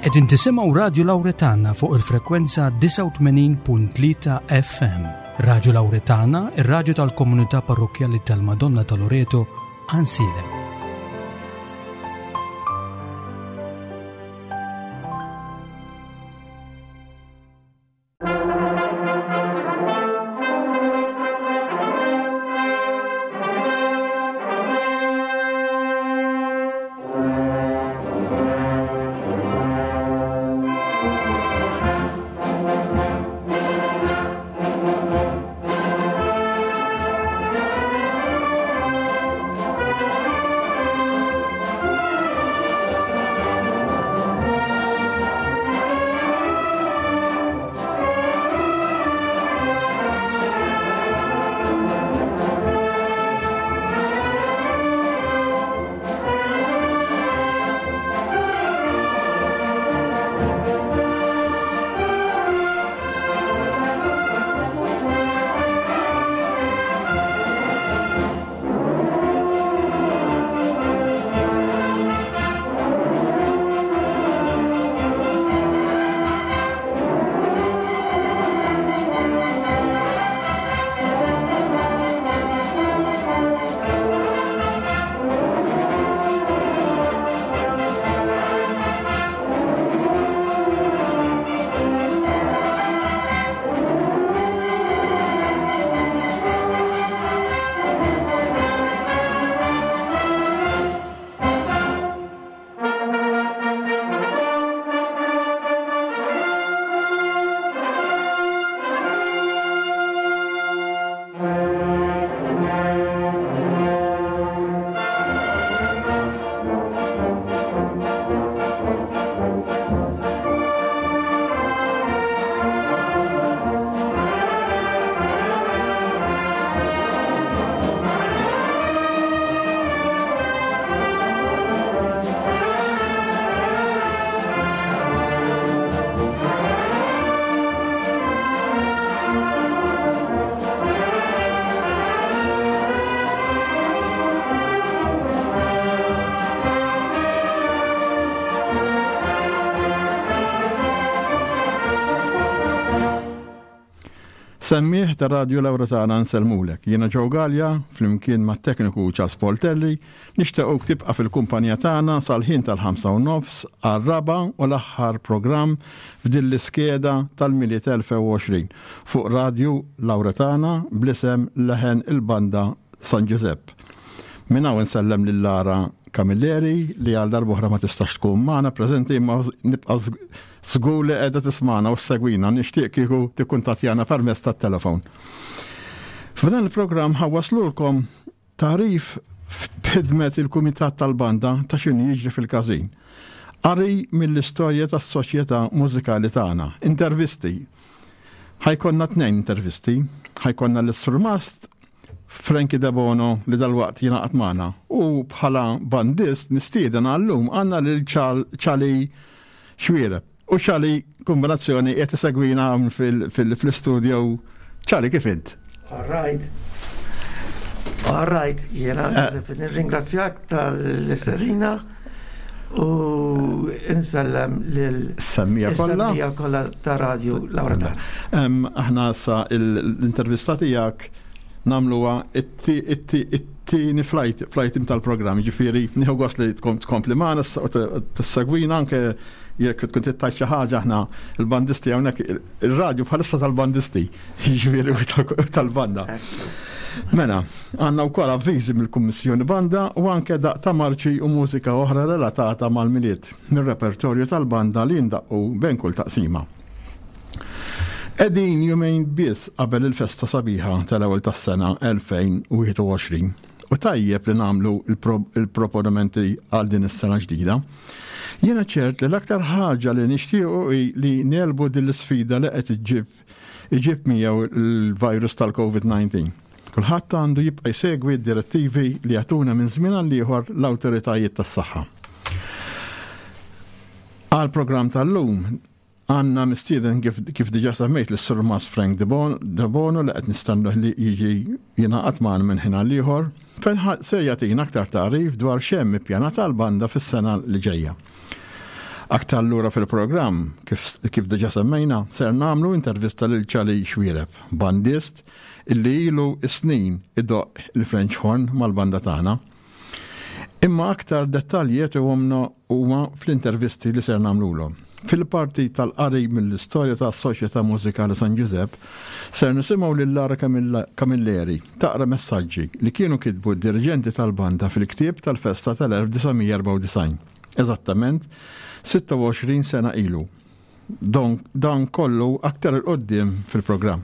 Qegħdin tisimgħu Radju Lawretana fuq il-frekwenza 89.3 FM. Radju Lawretana, ir-radju tal-komunità parrokkjali tal-Madonna ta' Loreto, Għansielem. Semmiegħ ta' Radju Laura tagħna nsellmulek. Jiena Joe Galea, flimkien mat-tekniku Charles Poltelli, nixtiequk tibqa' fil-kumpanija tagħna sal-ħin tal-ħamsa u nofs għar-raba' u l-aħħar programm f'din l-iskeda tal-Milied 2020 fuq Radju Laura tagħna bl-isem Leħen il-Banda San Ġużepp. Minn hawn insellem lil Lara Camilleri li għal darb'oħra ma tistax tkun magħna preżenti imma nibqa' żgur li qiegħda tismagħna u ssegwina, nixtieq kieku tikkuntattjana permezz tat-telefon. F'dan il-programm ħawwaslulkom tagħrif f'ħidmet il-Kumitat tal-Banda ta' x'inhu jiġri fil-każin. Qari mill-istorja tas-soċjetà mużikali tagħna, intervisti. Ħajkonna tnejn intervisti, ħajkonna l-Surmast Frankie Debono li dalwaqt jingħaqad magħna u bħala bandist mistieden għallum għandna lil Charlie Xwiereb. U Charlie kombinazzjoni qed isegwina hawn fil-studio. Charlie kif int? All right. All right, jiena eh. nirringrazzjak tal-istedina u insellem lil Semmija kollha. Semmija kollha ta' radju Laura. Aħna sa l-intervista tiegħek nagħmluha it-tieni flight flight tal-programm, ġifieri nieħu gost li tkun tkompli magħna u tissegwina anke jekk tkun tittajt xi ħaġa aħna il-bandisti hawnhekk ir-radju bħalissa tal-bandisti, jiġifieri tal-banda. Mela, għandna wkoll avviżi mill-Kummissjoni Banda u anke daq ta' marċi u mużika oħra relatata mal-Milied mir-repertorju tal-banda li jindaqqu bejn kull taqsima. Qegħdin jumejn biss qabel il-festa sabiħa tal-ewwel tas-sena 2021 u tajjeb li nagħmlu il-proponimenti għal din is-sena ġdida. Jiena ċert li l-aktar ħaġa li nixtiequ hi li negħlbu din l-isfida li qed iġib iġib miegħu l-virus tal-COVID-19. Kulħadd għandu jibqa' jsegwi d-direttivi li jagħtuna minn żmien għal ieħor l-awtoritajiet tas-saħħa. Għall-programm tal-lum Għandna mistieden kif, kif diġà semmejt lis Sur Mas Frank De Bono li qed nistennuh li jiġi jingħaqad magħna minn ħin għal ieħor fejn se jagħtina aktar tagħrif dwar x'hemm ippjanat għall-banda fis-sena li ġejja. Aktar lura fil-programm, kif, kif diġa semmejna, ser nagħmlu intervista lil Ċali Xwiereb, bandist illi ilu snin idoqq il-French horn mal-banda tagħna. Imma aktar dettalji jagħtihomna huma fl-intervisti li ser nagħmlulhom. Fil-parti tal-qari mill-istorja tas-Soċjetà Mużikali San Ġużepp, ser nisimgħu lil Lara Camilleri taqra messaġġi li kienu kitbu d-diriġenti tal-banda fil-ktieb tal-festa tal-1994, eżattament 26 sena ilu. Dan kollu aktar 'il quddiem fil-programm.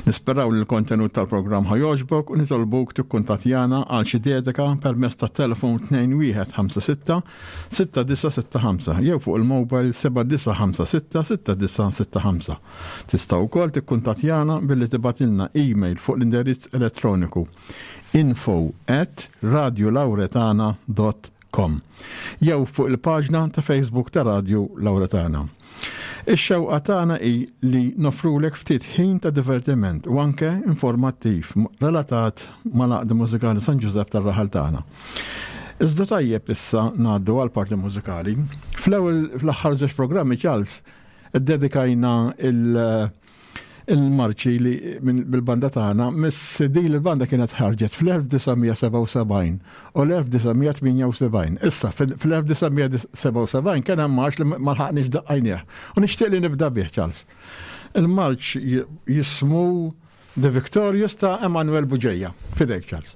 Nisperaw li l-kontenut tal-programm ħa jogħġbok u nitolbuk tikkuntattjana għal xi dedika permezz tat-telefon 2156 6965 jew fuq il-mobile 7956 6965. Tista' wkoll tikkuntattjana billi tibgħatilna email fuq l-indirizz elettroniku info at radiolauretana dot com jew fuq il-paġna ta' Facebook ta' Radju Lauretana. Ix-xewqa tagħna hi li noffrulek ftit ħin ta' divertiment u anke informattiv relatat mal-Għaqda Mużikali San Ġużepp tar-raħal tagħna. Iżda tajjeb issa ngħaddu għall-parti mużikali. Fl-ewwel fl-aħħar żewġ programmi Charles iddedikajna il- il-marċi li bil-banda tagħna miss din il-banda kienet ħarġet fl-1977 u l-1978. Issa fl-1977 kien hemm marċ li ma lħaqniex daqqajnieh. U nixtieq li nibda bih Charles. Il-marċ jismu The Victorious ta' Emanuel Buġeja. Fidejk Charles.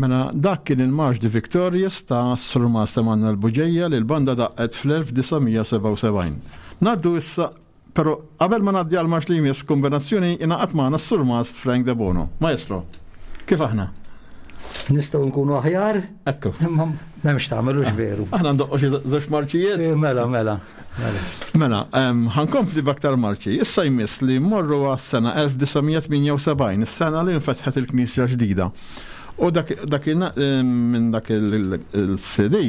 Mela dak kien il-Marx de Victorious ta' Surmast Emanuel Bugeja li l-banda daqqet fl-1977. Ngħaddu issa, però qabel ma ngħaddi għall-marx li jmiss kombinazzjoni ingħaqad magħna s-Surmast Frank Debono. Maestro, kif aħna? Nistgħu nkunu aħjar? Ekku. Imma m'hemmx tagħmel hux veru. Aħna ndoqqu xi żewġ marċijiet. Eh, mela, mela. Mela, ħankompli b'aktar marċi. Issa jmiss li mmorru għas-sena 1978, is-sena li nfetħet il-Knisja ġdida. U dak, dak minn dak il-CD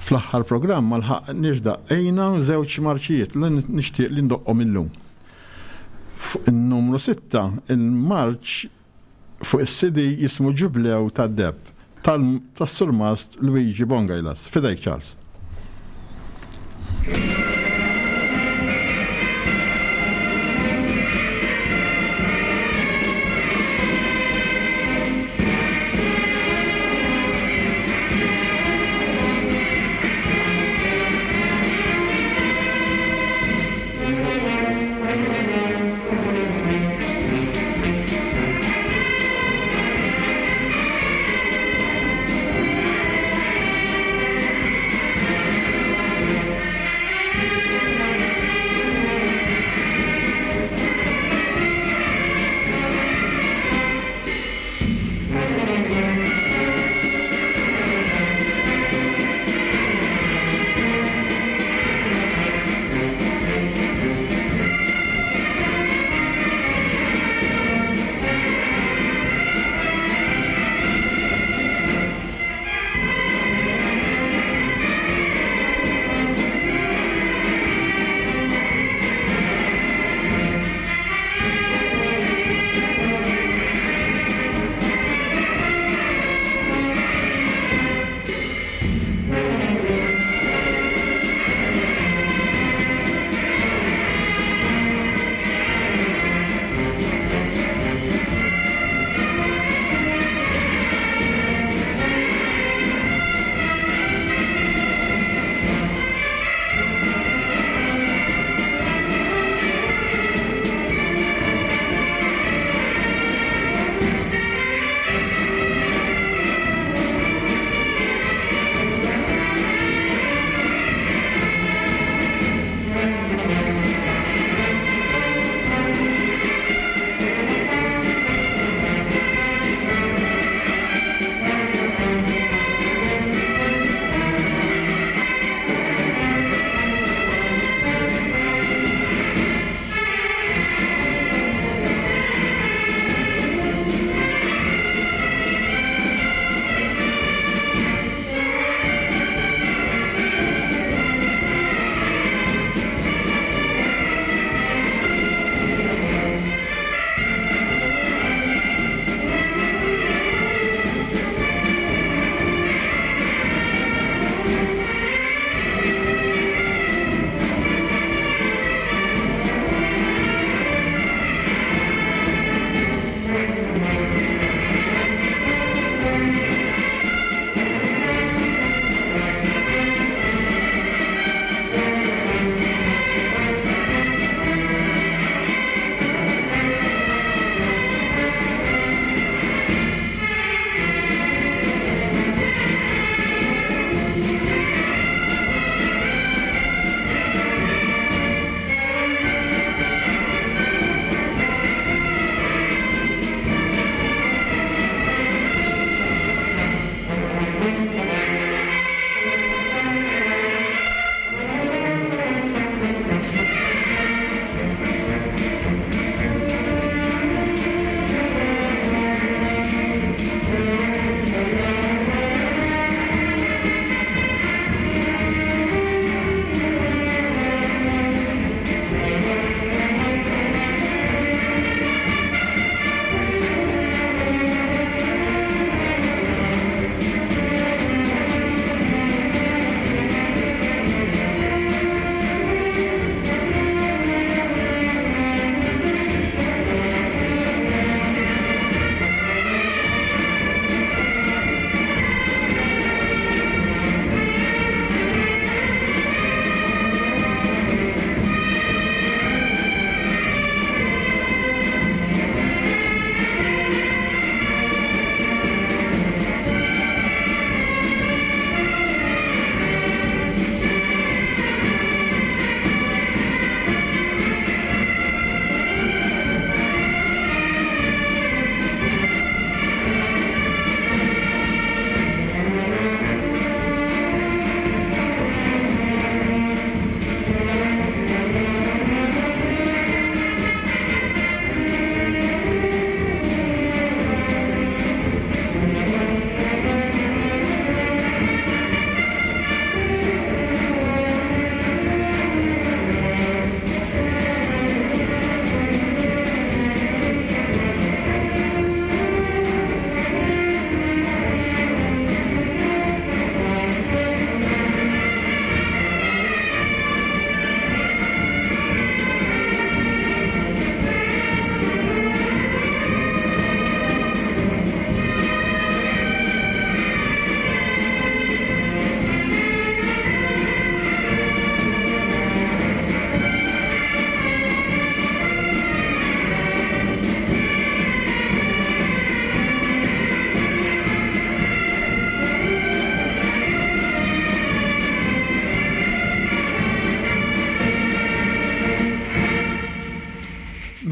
fl-aħħar programm ma lħaqniex daqqejna żewġ marċijiet li nixtieq li ndoqqhom illum. Fuq in-numru 6, il-marċ fuq is-CD jismu Ġublew tad-Deheb tas-Surmast Luigi Bongailas. F'idejk Charles.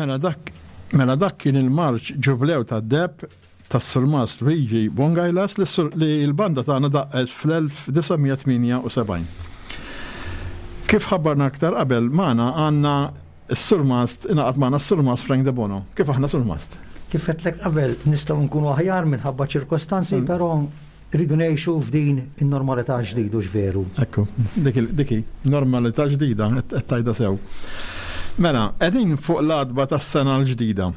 Mela dak mela dak kien il-marċ Ġublew tad-Deheb tas-Surmast Luigi Bongailas li l-banda tagħna daqqet fl-1978. Kif ħabbarna aktar qabel magħna għandna s-Surmast ingħaqad magħna s-Surmast Frank Debono. Kif aħna Surmast? Kif għedtlek qabel nistgħu nkunu aħjar minħabba ċirkostanzi, però rridu ngħixu f'din in-normalità ġdid hux veru. Ekku, dik hi, normalità ġdida qed tgħidha sew. Mela, qegħdin fuq l-għatba tas-sena l-ġdida.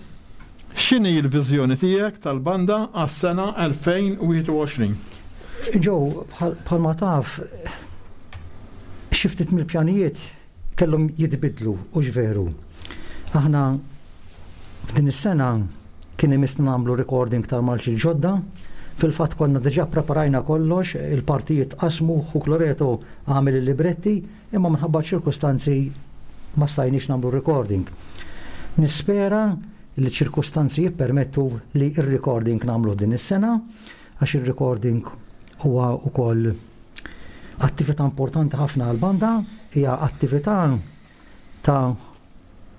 X'inhi l-viżjoni tiegħek tal-banda għas-sena 2021? Joe, bħalma taf, xi ftit mill-pjanijiet kellhom jitbiddlu, hux veru? Aħna f'din is-sena kien imissna nagħmlu recording tal-marċi l-ġodda. Fil-fatt konna diġà ppreparajna kollox, il-partijiet tqassmu, ħuk Loreto għamel il-libretti, imma minħabba ċ-ċirkustanzi ma stajniex nagħmlu recording. Nispera li ċ-ċirkustanzi jippermettu li r-recording nagħmluh din is-sena, għax ir-recording huwa wkoll Attività importanti ħafna għall-banda hija attività ta'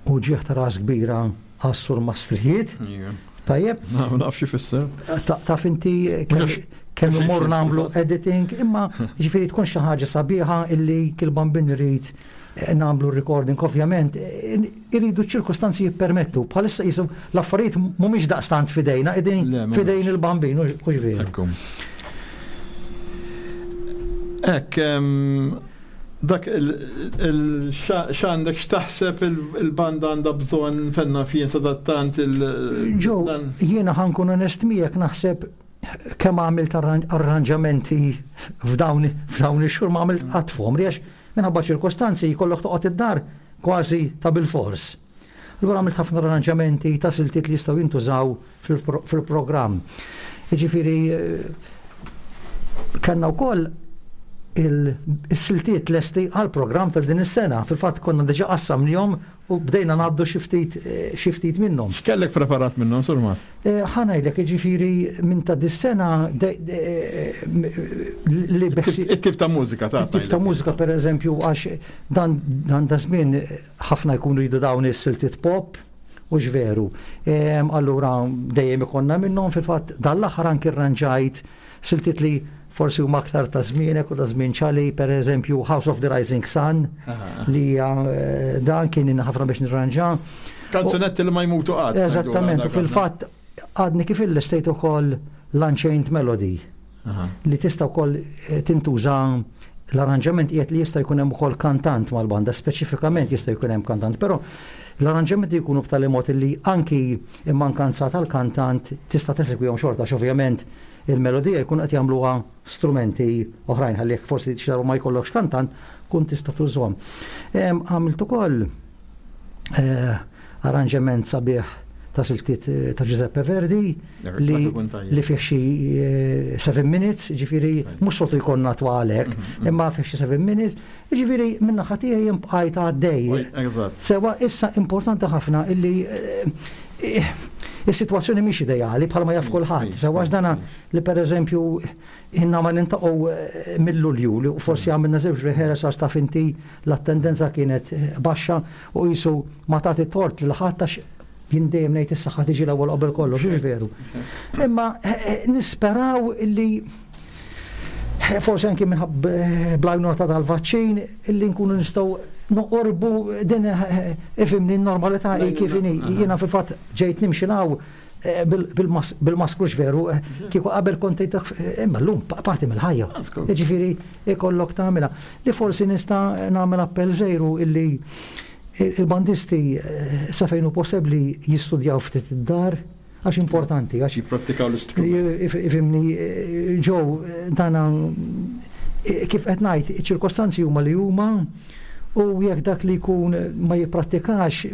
uġigħ ta' ras kbira għas-surmastrijiet. Tajjeb? Naf xi fisser. Taf inti kemm imur nagħmlu editing, imma ġifieri tkun xi ħaġa sabiħa illi kil bambin irid eh, nagħmlu recording, ovvjament, eh, iridu ċ-ċirkustanzi jippermettu. Bħalissa jisu l-affarijiet mhumiex daqstant fidejna, qegħdin fidejn il-bambin, u veru. Hekk, dak x'għandek x'taħseb il-banda għandha bżonn fenna fien sadattant il- Ġo, jiena ħankun onest miegħek naħseb kemm għamilt arranġamenti f'dawn ix-xhur ma għamilt qatt f'għomri għax minħabba ċirkostanzi jkollok toqgħod id-dar kważi ta' bilfors. Allura għamilt ħafna arranġamenti ta' siltiet li jistgħu jintużaw fil-programm. Jiġifieri kellna wkoll il-siltiet lesti għall-programm ta' din is-sena. Fil-fatt konna diġà qassamnihom u bdejna ngħaddu xi ftit xi ftit minnhom. X'kellek preparat minnhom, Sur Mas? Eh, ħa ngħidlek, jiġifieri minn ta' dis-sena li It-tip ta' mużika ta' It-tip ta' mużika pereżempju għax dan dan da żmien ħafna jkunu jridu dawn is-siltiet pop, hux veru. Allura dejjem ikollna minnhom fil-fatt dan l-aħħar anki rranġajt siltiet li forsi huma aktar ta' żmienek u ta' żmien ċali, per eżempju House of the Rising Sun, li hija eh, dan kien ħafna biex nirranġa. Kanzunetti li ma jmutu qatt. Eżattament, u fil-fatt għadni kif il-lestejt ukoll l-Unchained Melody li tista' wkoll eh, tintuża l-arranġament qiegħed li jista' jkun hemm ukoll kantant mal-banda, speċifikament jista' jkun hemm kantant, però l-arranġamenti jkunu b'tali mod li anki immankanza tal-kantant tista' tesegwihom xorta ovvjament il-melodija jkun qed jagħmluha strumenti oħrajn ħalli jekk forsi xi darba ma jkollokx kantant kun tista' tużhom. Għamilt ukoll eh, arranġament sabiħ ta' siltiet eh, ta' Giuseppe Verdi li, li fih xi 7 eh, minutes, ġifieri mhux soltu jkollna twalek, mhm, mhm. imma fih xi 7 minutes, ġifieri minna ħatija jien bqajt għaddej. Sewa issa importanti ħafna illi eh, is-sitwazzjoni mhix ideali bħalma jaf kulħadd. Sewa dana li pereżempju inna ma nintaqgħu eh, mill-Lulju li forsi għamilna żewġ rehearsals taf inti l-attendenza kienet eh, baxxa u qisu ma tagħti tort lil ħadd għax jien dejjem ngħid is-saħħa tiġi l-ewwel qabel kollox, hux veru. Imma eh, nisperaw li forsi anki minħabba bl-għajnuna ta' dal-vaċċin illi nkunu nistgħu noqorbu din ifimni n-normalità kif inhi. Jiena fil-fatt ġejt nimxi naw Eh, bil-maskrux veru, eh, kieku qabel kont eh, imma llum parti mill-ħajja. Jiġifieri ikollok tagħmilha. Li forsi nista' nagħmel appell żejru illi il-bandisti sa fejn hu possibbli jistudjaw ftit id-dar għax importanti għax jipprattikaw l-istrument. Ifimni ġew dana kif qed ngħid, iċ-ċirkostanzi huma li huma u jekk dak li jkun ma jipprattikax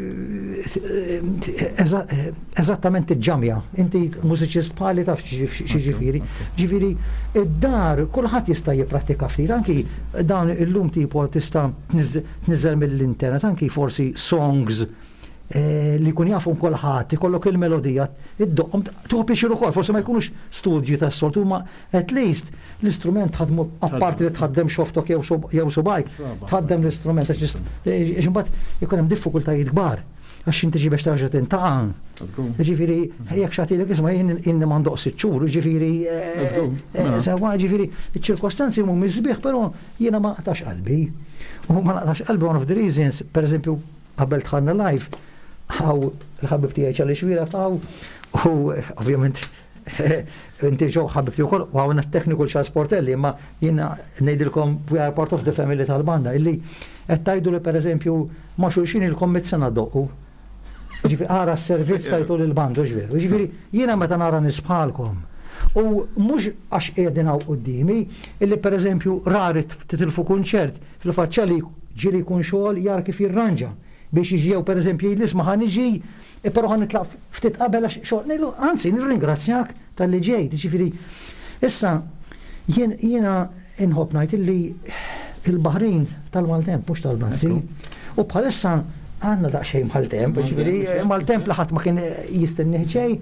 eżattament iġġamja. Inti mużiċist bħali taf xi ġifieri. Ġifieri id-dar kulħadd jista' jipprattika ftit, anki dan illum tipo tista' tniżżel mill-internet, anki forsi songs eh, li jkun jafhom kulħadd, ikollok il-melodija, iddoqqhom tieħu pjaċir ukoll, forsi ma jkunux studju tas-soltu, ma at least l-istrument tħadmu apparti li tħaddem xoftok jew subajk, tħaddem l-istrument għax imbagħad ikun hemm diffikultajiet kbar. Għax inti ġi biex terġa' tintaqa'. Ġifieri jekk xagħtilek isma' jien inni m'għandoq sitt xhur, ġifieri eh, eh, sewwa ġifieri iċ-ċirkostanzi mhumiex sbieħ, però jiena ma naqtax qalbi. U ma naqtax qalbi one of the reasons, pereżempju, qabel dħalna live, hawn il-ħabib tiegħi Charlie Xuereb hawn u ovvjament Inti ġew ħabibti wkoll u hawn it-tekniku Charles Portelli, imma jiena ngħidilkom we are part of the family tal-banda illi qed tgħidu li pereżempju ma' xulxin ilkom mit sena ddoqqu. Ġifieri ara s-servizz tajtu lill-banda, hux veru? Ġifieri jiena meta nara nies bħalkom u mhux għax qiegħdin hawn quddiemi illi pereżempju rari titilfu kunċert, fil-fatt Charlie ġieli jkun xogħol jara kif jirranġa biex jiġi jew pereżempju jgħidli isma' ħa niġi E però ħa nitlaq ftit qabel għax xogħol. Ngħidlu, anzi, nirringrazzjak talli ġejt. Jiġifieri, issa jien jiena inħobb ngħid illi il-Baħrin tal-maltemp mhux tal-Banzi. U bħalissa għandna daqsxejn maltemp, jiġifieri maltemp li ħadd ma kien jistennih ġej.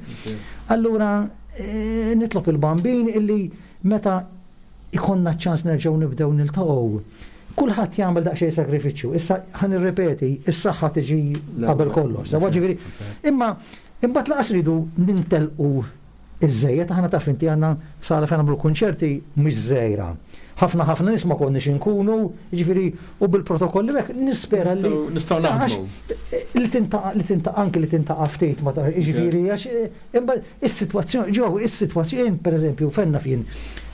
Allura eh, nitlob il-bambin illi meta ikollna ċ-ċans nerġgħu nibdew niltaqgħu, kulħadd jagħmel daqsxejn sagrifiċċju. Issa ħa nirrepeti, is-saħħa tiġi qabel kollox. Sewwa ġifieri, imma imbagħad laqas ridu nintelqu iż-żejjed, aħna taf inti għandna sala fejn nagħmlu kunċerti mhix żgħira. Ħafna ħafna nies ma konniex inkunu, jiġifieri u bil-protokolli hekk nispera li nistgħu naħdmu. Li tintaqa' li tintaqa' anki li tintaqa' ftit ma ta' jiġifieri għax imbagħad is-sitwazzjoni ġew is-sitwazzjoni jien pereżempju fejn naf jien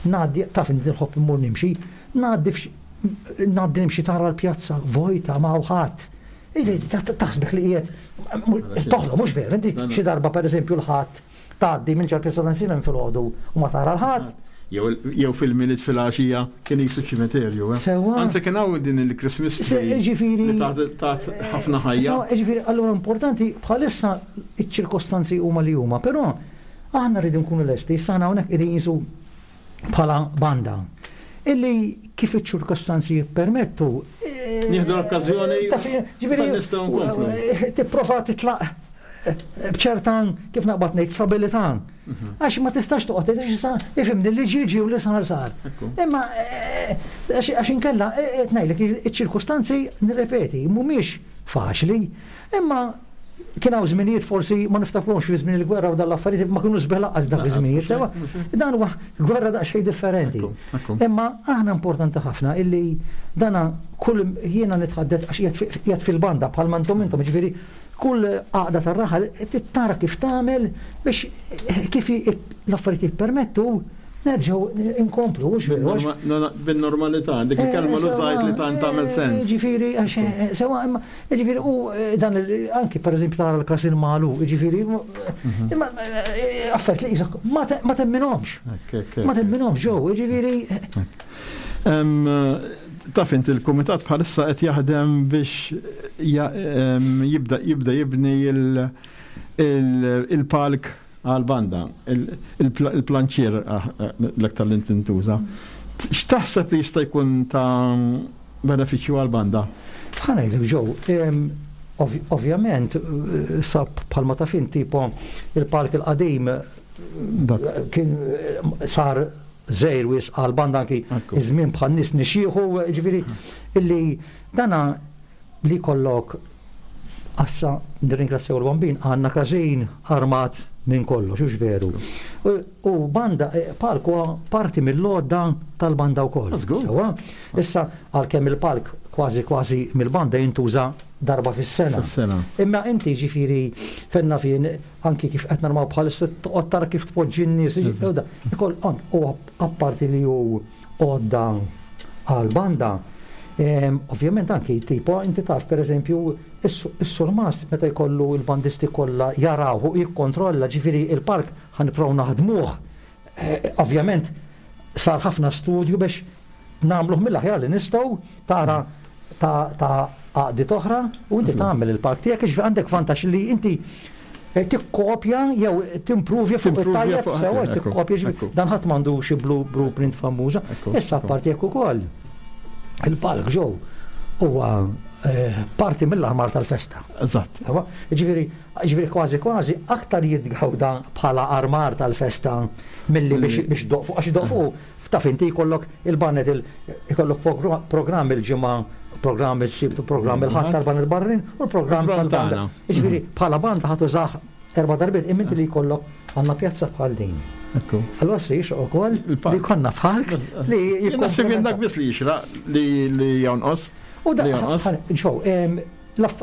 ngħaddi taf inti nħobb immur nimxi, ngħaddi ngħaddi nimxi tara l-pjazza vojta ma hawn ħadd. Taħsbek li qiegħed toħlom mhux veru, inti xi darba pereżempju l-Ħadd tgħaddi minn ġol-pjazza ta' Nsilem filgħodu u ma tara l-ħadd. Jew fil-Milied filgħaxija kien qisu ċimiterju. Eh? Sewwa. Anzi kien hawn din il-Christmas tree. Ġifieri. Tat ħafna ħajja. Sewwa, ġifieri allura importanti bħalissa iċ-ċirkostanzi huma li huma, però aħna rridu nkunu lesti, issa aħna hawnhekk qegħdin qisu bħala banda illi kif iċ-ċirkostanzi jippermettu. Eh, Nieħdu l-okkażjoni. Ġifieri nistgħu nkomplu. Eh, tipprova titlaq b'ċerta kif naqbad ngħid stabilità. Mhm. Għax ma tistax toqgħod tgħid issa ifhimni li ġie ġie u li sar sar. Imma eh, għax inkella eh, qed ngħidlek iċ-ċirkustanzi nirrepeti mhumiex faċli, imma kien hawn żminijiet forsi ma niftakrhomx fi żmien il-gwerra u dan l-affarijiet ma kienu sbieħ lanqas dak iż-żminijiet sewa. Dan huwa gwerra daqsxejn differenti. Imma aħna importanti ħafna illi dana kull jiena nitħaddet għax qiegħed fil-banda bħalma intom intom ġifieri Kull għaqda tar-raħal trid tara kif tagħmel biex kif l-affarijiet jippermettu nerġgħu nkomplu, hux veru? Bin-normalità, dik il-kelma l-użajt li tant tagħmel sens. Ġifieri, għax sewa, imma ġifieri u dan anki pereżempju tara l-każin magħluq, ġifieri, imma affarijiet li qisek ma temminhomx. Ma temminhomx ġew, ġifieri. Taf inti l-kumitat bħalissa qed jaħdem biex jibda jibda jibni il-palk għal-banda, il-planċier ah, l-aktar li tintuża. X'taħseb li jista' jkun ta' benefiċċju għal-banda? Ħa ngħidlek ġew, ovvjament sab bħalma taf inti il-park il-qadim kien sar żgħir wisq għall-banda anki iż-żmien bħan-nies nixjieħu, ġifieri illi dana li jkollok assa nirringrazzjaw il-Bambin għandna każin armat minn kollox, hux veru. U banda eh, palk huwa parti mill-għodda tal-banda wkoll. Sewwa? Issa għalkemm il-palk kważi kważi mill-banda jintuża darba fis-sena. Imma inti ġifieri fenna fien anki kif qed narmaw bħalissa toqgħod tara kif tpoġġi n-nies, ikoll u apparti li hu għodda għal banda, ovvjament anki tipo inti taf pereżempju is-surmas meta jkollu l-bandisti kollha jaraw u jikkontrolla ġifieri il-park ħa nipprovaw naħdmuh. Eh, ovvjament sar ħafna studju biex nagħmluh mill-aħjar li nistgħu tara ta' għaqdiet oħra u inti tagħmel il-park tiegħek jiġifieri għandek vantaġġ li inti eh, tikkopja jew timpruvja fuq it-tajjeb sewa tikkopja dan ħadd m'għandu xi blueprint famuża. Issa apparti hekk ukoll il-park ġew huwa eh, parti mill-armar tal-festa. Eżatt. Ġifieri, ġifieri kważi kważi aktar jitgawda bħala armar tal-festa milli biex doqfu għax doqfu Taf inti jkollok il-baned ikollok programm il-ġimgħa programm is-Sibt u programm il-Ħadd tal-banda barrin u l-programm tal-banda. Jiġifieri bħala banda ħa tużah erba' darbiet imma inti li jkollok għandna pjazza bħal din. Allora se jixraq ukoll li jkollna palk li Naħseb jien dak biss li jixraq li jonqos. U dak ġew,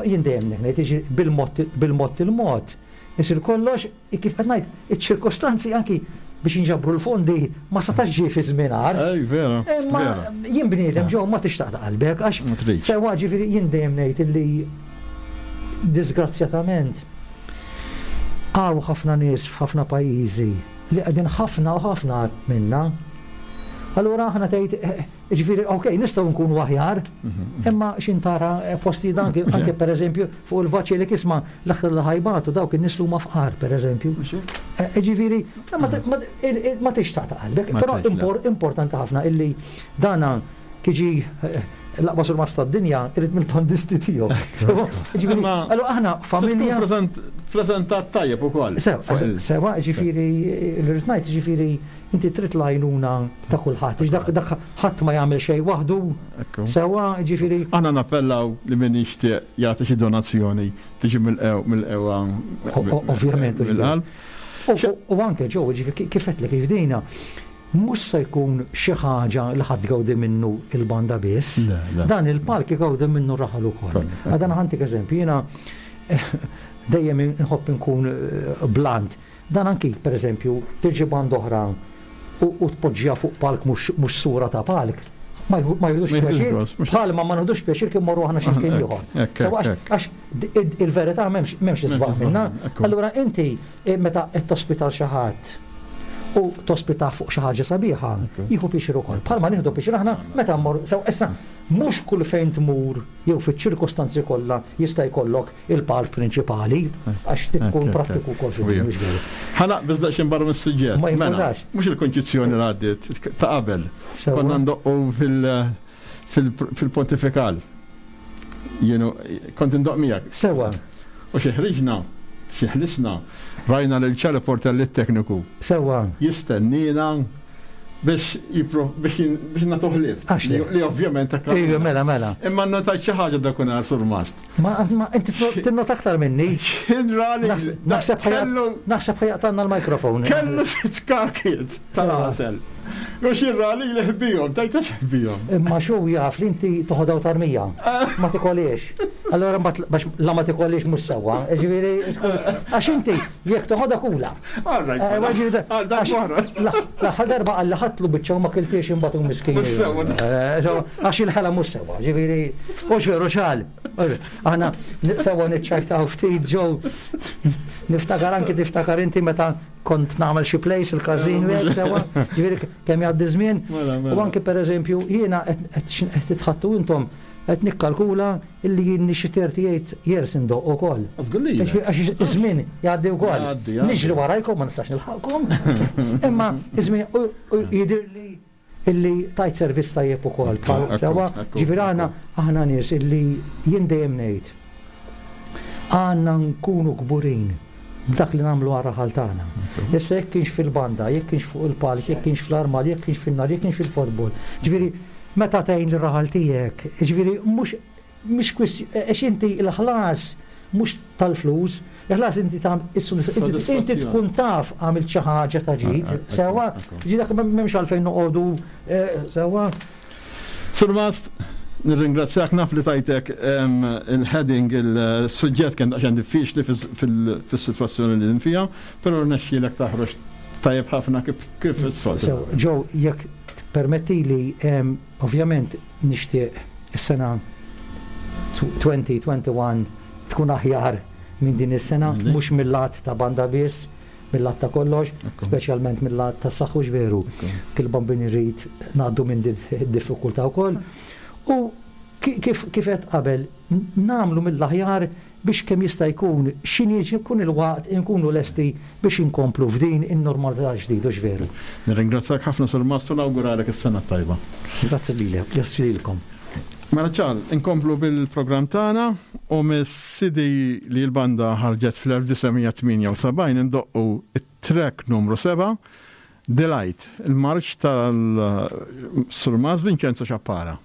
jien dejjem ngħid bil-mod bil-mod il-mod isir kollox Kif qed ngħid, iċ-ċirkostanzi anki biex inġabru l-fondi ma setax ġie fi żmien agħar. Ej, vera. Imma jien bniedem ġew ma tixtaq ta' qalbek għax sewwa ġifieri jien dejjem ngħid illi disgrazzjatament hawn ħafna nies f'ħafna pajjiżi li qegħdin ħafna u ħafna minna. Allura aħna tgħid eh, Jiġifieri, ok, nistgħu nkunu aħjar, imma x'in tara eh, postijiet anke anke pereżempju fuq il-vaċili kisma l-aktar li ħajbatu dawk in-nies li huma fqar pereżempju. Eh, jiġifieri, ma tixtaq ta' qalbek, però importanti ħafna illi dana kiġi eh, l-aqwa surmas tad-dinja irid mill-bandisti tiegħu. Ġifieri, allura aħna familja. Preżentat tajjeb ukoll. Sewa, ġifieri, l-irid ngħid, ġifieri Inti trid l-għajnuna ta' kulħadd, għax dak dak ħadd ma jagħmel xejn waħdu. Sewwa, jiġifieri. Aħna nappellaw li min jixtieq jagħti xi donazzjoni tiġi mill-qewwa. Ovvjament. Mill-qalb. U anke ġew, jiġifieri kif għedtlek kif dina, mhux se jkun xi ħaġa li ħadd tgawdi minnu il-banda biss. Dan il-palk igawdi minnu r-raħal ukoll. Għadan ħantik eżempju, jiena dejjem inħobb inkun blunt. Dan anki, per eżempju, tiġi band oħra u tpoġġiha fuq palk mhux sura ta' palk, ma jieħdux pjaċir, bħalma ma nieħdux pjaċir kif morru aħna xi mkien ieħor. Għax il-verità m'hemmx isbaħ minna. Allura inti eh, meta qed tospita xi ħadd u tospita fuq xi ħaġa sabiħa, jieħu pjaċir ukoll. Bħalma nieħdu pjaċir aħna meta mmorru sew issa mhux kull fejn tmur jew fiċ-ċirkostanzi kollha jista' jkollok il-palk prinċipali, għax tkun prattiku wkoll fid-dinja veru. Ħa naqbeż daqsxejn barra mis-suġġett. Ma mela, mhux il-konċizzjoni li għaddiet ta' qabel. Konna ndoqqu fil-pontifikal. Jienu kont indoq miegħek. Sewa. U xi ħriġna, xi ħlisna, rajna lil ċali Portelli t-tekniku. Sewa. Jistennina biex biex nagħtuh lift. Li ovvjament Ejju, mela, mela. Imma notajt xi ħaġa dakunhar surmast. Ma, ma, inti tinnota aktar minni. Xinrali. Naħseb naħseb ħajaqtanna l-mikrofon. Kellu sitt kakiet tal-għasel. U xirrali li ħbijom, tajta xħbijom. Imma xu jaf li inti toħodaw tarmija. Ma tikoliex. Allora bax la ma tikoliex mhux sewwa. Ġifieri, għax inti jekk toħodha kula. Eh, l-aħħar darba għalli ħatlu biċċa u ma kiltiex imbagħad u miskin. Eh, għax il-ħela mhux sewwa, ġifieri, mhux veru xal. Aħna sewwa niċċajtaw ftit ġew niftakar anki tiftakar inti meta kont nagħmel xi place il-każin u sewwa, ġifieri kemm jgħaddi żmien. Mela, mela. U anki pereżempju jiena qed titħattu intom qed nikkalkula illi jien xi 38 years indoq ukoll. Għax iż-żmien jgħaddi wkoll. Niġri warajkom ma nistax nilħaqkom. Imma iż-żmien jidhirli illi tajt servizz tajjeb ukoll. Sewwa, ġifieri aħna aħna nies illi jien dejjem ngħid għandna nkunu kburin b'dak li nagħmlu għar-raħal tagħna. Issa jekk kienx fil-banda, jekk kienx fuq il-palk, jekk kienx fl-armal, jekk kienx fin-nar, jekk kienx fil-futbol. Ġifieri meta tgħin lir-raħal tiegħek, ġifieri mhux mhix kwistjoni għax inti l-ħlas mhux tal-flus, il-ħlas inti ta' inti tkun taf għamilt xi ħaġa ta' ġid, sewwa, ġi dak m'hemmx għalfejn noqogħdu eh, sewwa. Sur Mast, nirringrazzjak naf li tajtek il-heading, il-suġġett kien daqsxejn diffiċli fis-sitwazzjoni li fija, però rnexxielek taħroġ tajjeb ħafna kif is-soltu. Ġew, jekk permettili, ovvjament Nixtieq is-sena 2021 tkun aħjar minn din is-sena, mhux mill-lat ta' banda biss, mill-lat ta' kollox, speċjalment mill-lat ta' saħħu veru. Kil bambin irrid ngħaddu minn din id-diffikultà wkoll. U kif kif qed qabel nagħmlu mill-aħjar biex kemm jista' jkun x'inhi jkun il-waqt inkunu lesti biex inkomplu f'din in-normalità l-ġdid, hux veru? Nirringrazzjak ħafna Sur Mastru nawguralek is-sena t-tajba. Grazzi lilek, grazzi lilkom. Mela ċar, inkomplu bil-programm tagħna u mis-CD li l-banda ħarġet fl-1978 indoqqu it-track numru 7 Delight, il-marċ tal-Sur Mas Vincenzo Ciappara.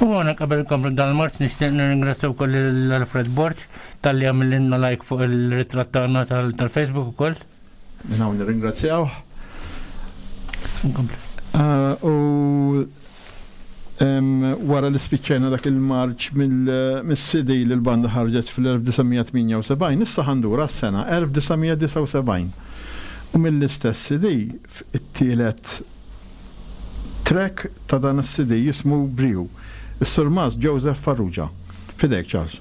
U għana qabel komplu dan il-marċ nixtieq nirringrazzja wkoll l-Alfred Borg talli għamililna like fuq il-ritratt tagħna tal-Facebook ukoll. Minn hawn nirringrazzjaw. Eh, u wara li spiċċajna dak il-marċ mill-CD li l-banda ħarġet fl-1978, issa ħandura s-sena 1979. U mill-istess CD it-tielet track ta' dan is-CD jismu Briju. Is-Surmast Joseph Farrugia. Fidejk Charles.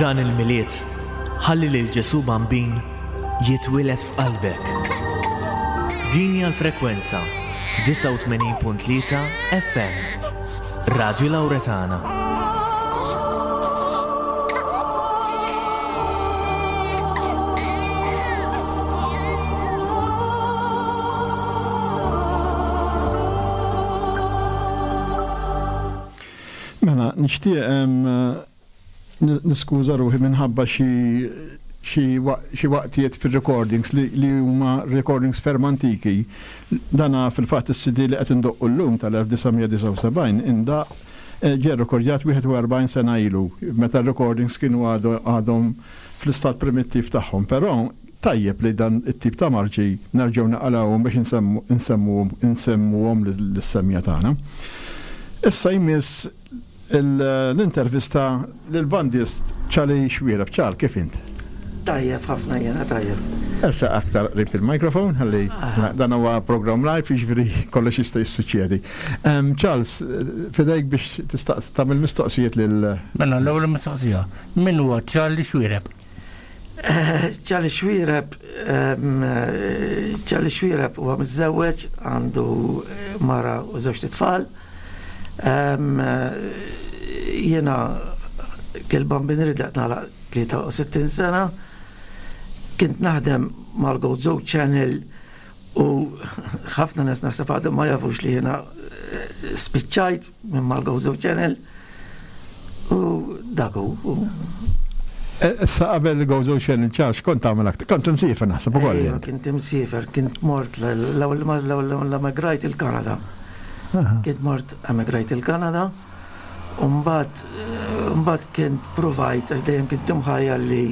Dan il-Milied, ħalli lil Ġesù Bambin jitwieled f'qalbek. Din hija l-frekwenza 89.3 FM. Radio Lauretana. Mela, nixtieq niskuża ruħi minħabba xi xi waqtiet fir-recordings li, li huma recordings ferm antiki. Dana fil-fatt is-CD li qed indoqqu llum tal-1979 indaq eh, ġie rrekordjat 41 sena ilu meta r-recordings kienu għadhom fl-istat primittiv tagħhom, però tajjeb li dan it-tip ta' marċi nerġgħu naqalgħuhom biex insemmuhom lis-semja tagħna. Issa jmiss l-intervista lill-bandist Charlie Xwiereb. Charles, kif int? Tajjeb ħafna jiena tajjeb. Ersaq aktar qrib il-microphone ħalli dan huwa programm live jiġifieri kollox jista' jissuċċedi. Charles, fidejk biex tistaqs tagħmel mistoqsijiet lil Mela l-ewwel mistoqsija, min huwa Charlie Xwiereb? Charlie Xwiereb Charlie Xwiereb huwa miżżewweġ, għandu mara u żewġt itfal. Jiena kil-bambin ridaq nagħlaq 63 sena. Kint naħdem mal-Gozo Channel u ħafna nies naħseb għadhom ma jafux li jiena spiċċajt minn mal-Gozo Channel u dak hu. Issa qabel Gozo Channel ċax kont tagħmel aktar, kont imsiefer naħseb ukoll. Ejwa, kint imsiefer, kint mort l-ewwel l emigrajt il-Kanada. Kint mort emigrajt il-Kanada u mbagħad mbagħad kint provajt għax dejjem kint imħajjar li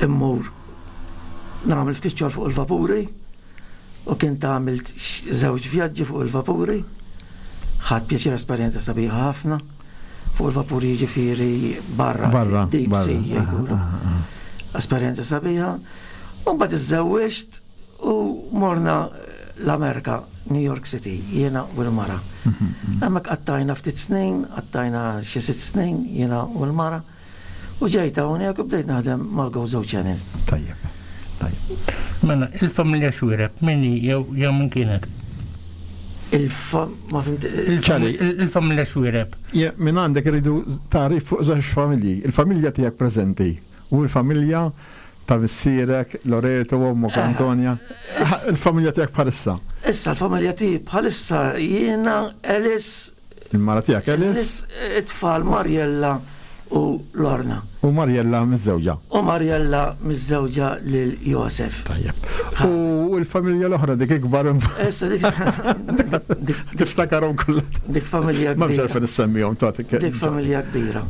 immur nagħmel ftit xogħol fuq il-vapuri u kint għamilt żewġ vjaġġi fuq il-vapuri. Ħadt pjaċir esperjenza sabiħa ħafna fuq il-vapuri jiġifieri barra, Barra, deep barra. sea jgħidulu. Esperjenza sabiħa. U mbagħad iżżewwiġt u morna l-Amerika, New York City, jiena u l-mara. Hemmhekk qattajna ftit snin, qattajna xi sitt snin, jiena u l-mara. U ġejt hawnhekk u bdejt naħdem mal-Gozo Channel. Tajjeb. Tajjeb. Mela, il-familja Xwiereb, min hi jew jew min kienet? Il-fam... ma fimt... Ċali. Il-familja Xwiereb. Minn għandek irridu tagħrif fuq żewġ familji. Il-familja tiegħek preżenti u l-familja ta' missierek, Loreto, u ommok Antonia. Il-familja tiegħek bħalissa. Issa l-familja tiegħi bħalissa jiena Alice Il-mara tiegħek Alice. It-tfal Mariella u Lorna. U Mariella miżżewġa. U Mariella miżżewġa lil Josef. Tajjeb. U l-familja l-oħra dik ikbar. Issa dik. Tiftakarhom kollha. Dik familja kbira. Ma għalfejn issemmihom tagħtik. Dik familja kbira.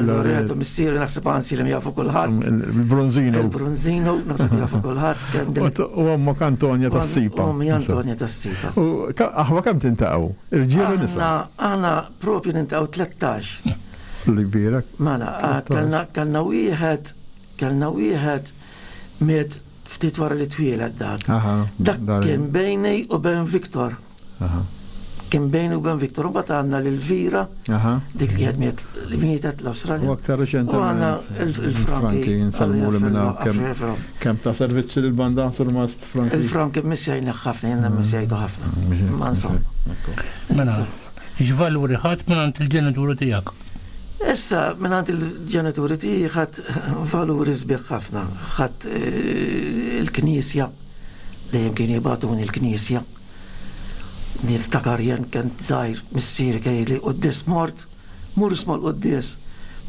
Loreto missieri naħseb anzi li jafu kulħadd. Il-Bronzino. Il-Bronzino naħseb jafu kulħadd. U ommok Antonia tas-Sipa. Ommi Antonia tas-Sipa. U aħwa kemm tintaqgħu? Irġiel u nisa. Aħna propju nintaqgħu 13. Li kbira. Mela, kellna kellna wieħed kellna wieħed miet ftit wara li twieled dak. Dak kien bejni u bejn Viktor. Kien bejni u bejn Viktor, u mbagħad għandna lil Vera, dik li qed li mietet l-Awstralja. U aktar reċenti. U għandna il-Franki. Nsalmu li minna kemm ta' servizzi lill-banda surmast Franki. Il-Franki missjajna ħafna, jenna missjajtu ħafna. Ma insomma. Mela, x'valuri ħadd mingħand il-ġenituri tiegħek? Issa, mingħand il-ġenituri tiegħi ħadd valuri sbieħ ħafna. Ħadd eh, il-knisja, dejjem kien jibatuni l-knisja. Niftakar jien kien żgħir missieri kien jgħidli quddies mort, mur isma' l-quddies,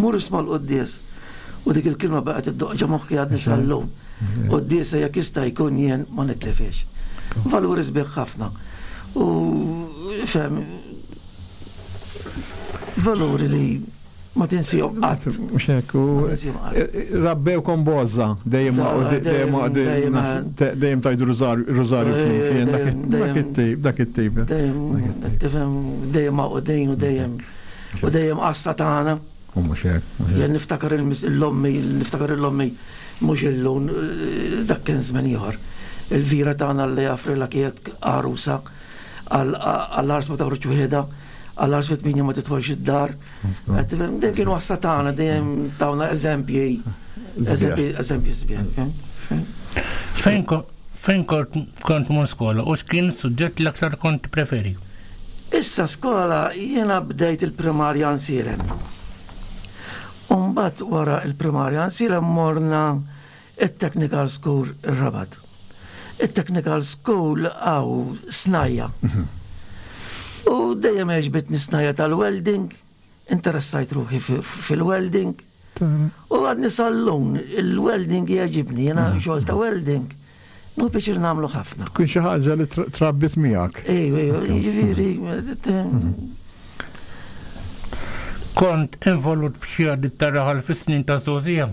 mur isma' l-quddies. U dik il-kelma baqgħet iddoqq ġo moħħi għadni sal-lum. Quddiesa jekk jista' jkun jien ma nitlifhiex. Valuri sbieħ ħafna. U fem valuri li ma tinsihom qatt. Mhux hekk, u rabbewkom b'għożża, dejjem dejjem dejjem tajdu rużarju flimkien, dak it-tip, dak it-tip. Dejjem tifhem dejjem maqudin u dejjem u dejjem qassa tagħna. U mhux hekk. Jien niftakar l-ommi, niftakar l-ommi mhux illum dak kien żmien ieħor. Il-vira tagħna li jafrilha kienet għarusa għall-ars ma toħroġ wieħda. Għal fit-8 ma titħolx id-dar. Dejjem kienu għassa tagħna, dejjem tawna eżempji. Eżempji, eżempji sbieħ. Fejn fejn kont mur skola u x'kien suġġett l-aktar kont preferi? Issa skola jiena bdejt il-primarja nsirem. Umbat wara il-primarja nsirem morna it-technical school ir-Rabat. It-technical school għaw snajja. Mhm. U dejjem għeġbitni snajja tal-welding, interessajt ruħi fil-welding. U għadni sal-lum, il-welding jgħġibni, jena mhm. xogħol ta' welding. Nu biex namlu ħafna. Tkun xi ħaġa li trabbit miegħek. Ejju, ejju, jiġifieri. Mhm. Kont involut f'xi għadit ta' fis-snin ta' żgħożija.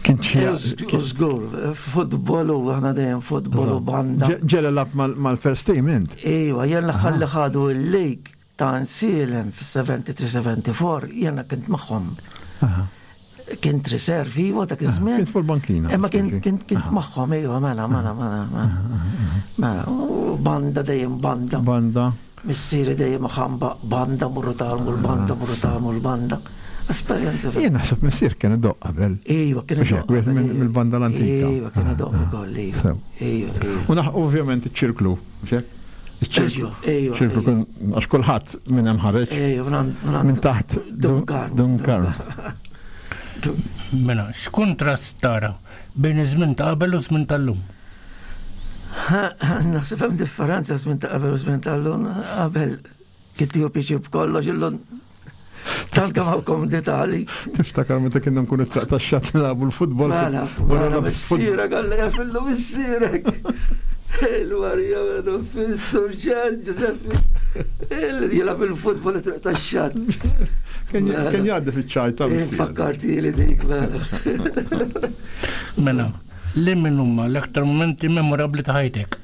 Kien xi. Żgur, futbol u aħna dejjem futbol u banda. Ġela lab mal-first team int? Ejwa, jien l-aħħar li ħadu l-league ta' Nsielem fis-73-74 jiena kint magħhom. Kint riservi, iwa dak iż-żmien. Kint fuq il-bankina. Imma kint kint kint magħhom, ejwa, mela, mela, mela. Mela, banda dejjem banda. Banda. Missieri dejjem ħamba banda morru tagħmlu l-banda morru tagħmlu l-banda. Esperjenza. Jien naħseb missier kien idoq qabel. Ejwa, kien idoq. Wieħed mill-banda l-antika. Ejwa, kien idoq ukoll, ejwa. Ejwa, U naħ ovvjament iċ-ċirklu, mhux hekk? Iċ-ċirklu. Ejwa. Ċirklu kien għax kulħadd minn hemm ħareġ. Ejwa, minn taħt Dunkar. Mela, x'kuntrast tara bejn iż-żmien ta' qabel u żmien tal-lum? Naħseb hemm differenza żmien ta' qabel u żmien tal-lum. Qabel kien tieħu pjaċir b'kollox illum tant kemm hawn komditali. Tiftakar meta kienna nkunu traq tax-xatt nilagħbu l-futbol. Mela, mela missierek għalla jafillu missierek. Il-Marija mela fis-surġent Giuseppe. Jilgħab il-futbol it-traq tax-xatt. Kien jgħaddi fiċ-ċajta. Fakkarti li dik mela. Mela, Li min huma l-aktar momenti memorabbli ta' ħajtek?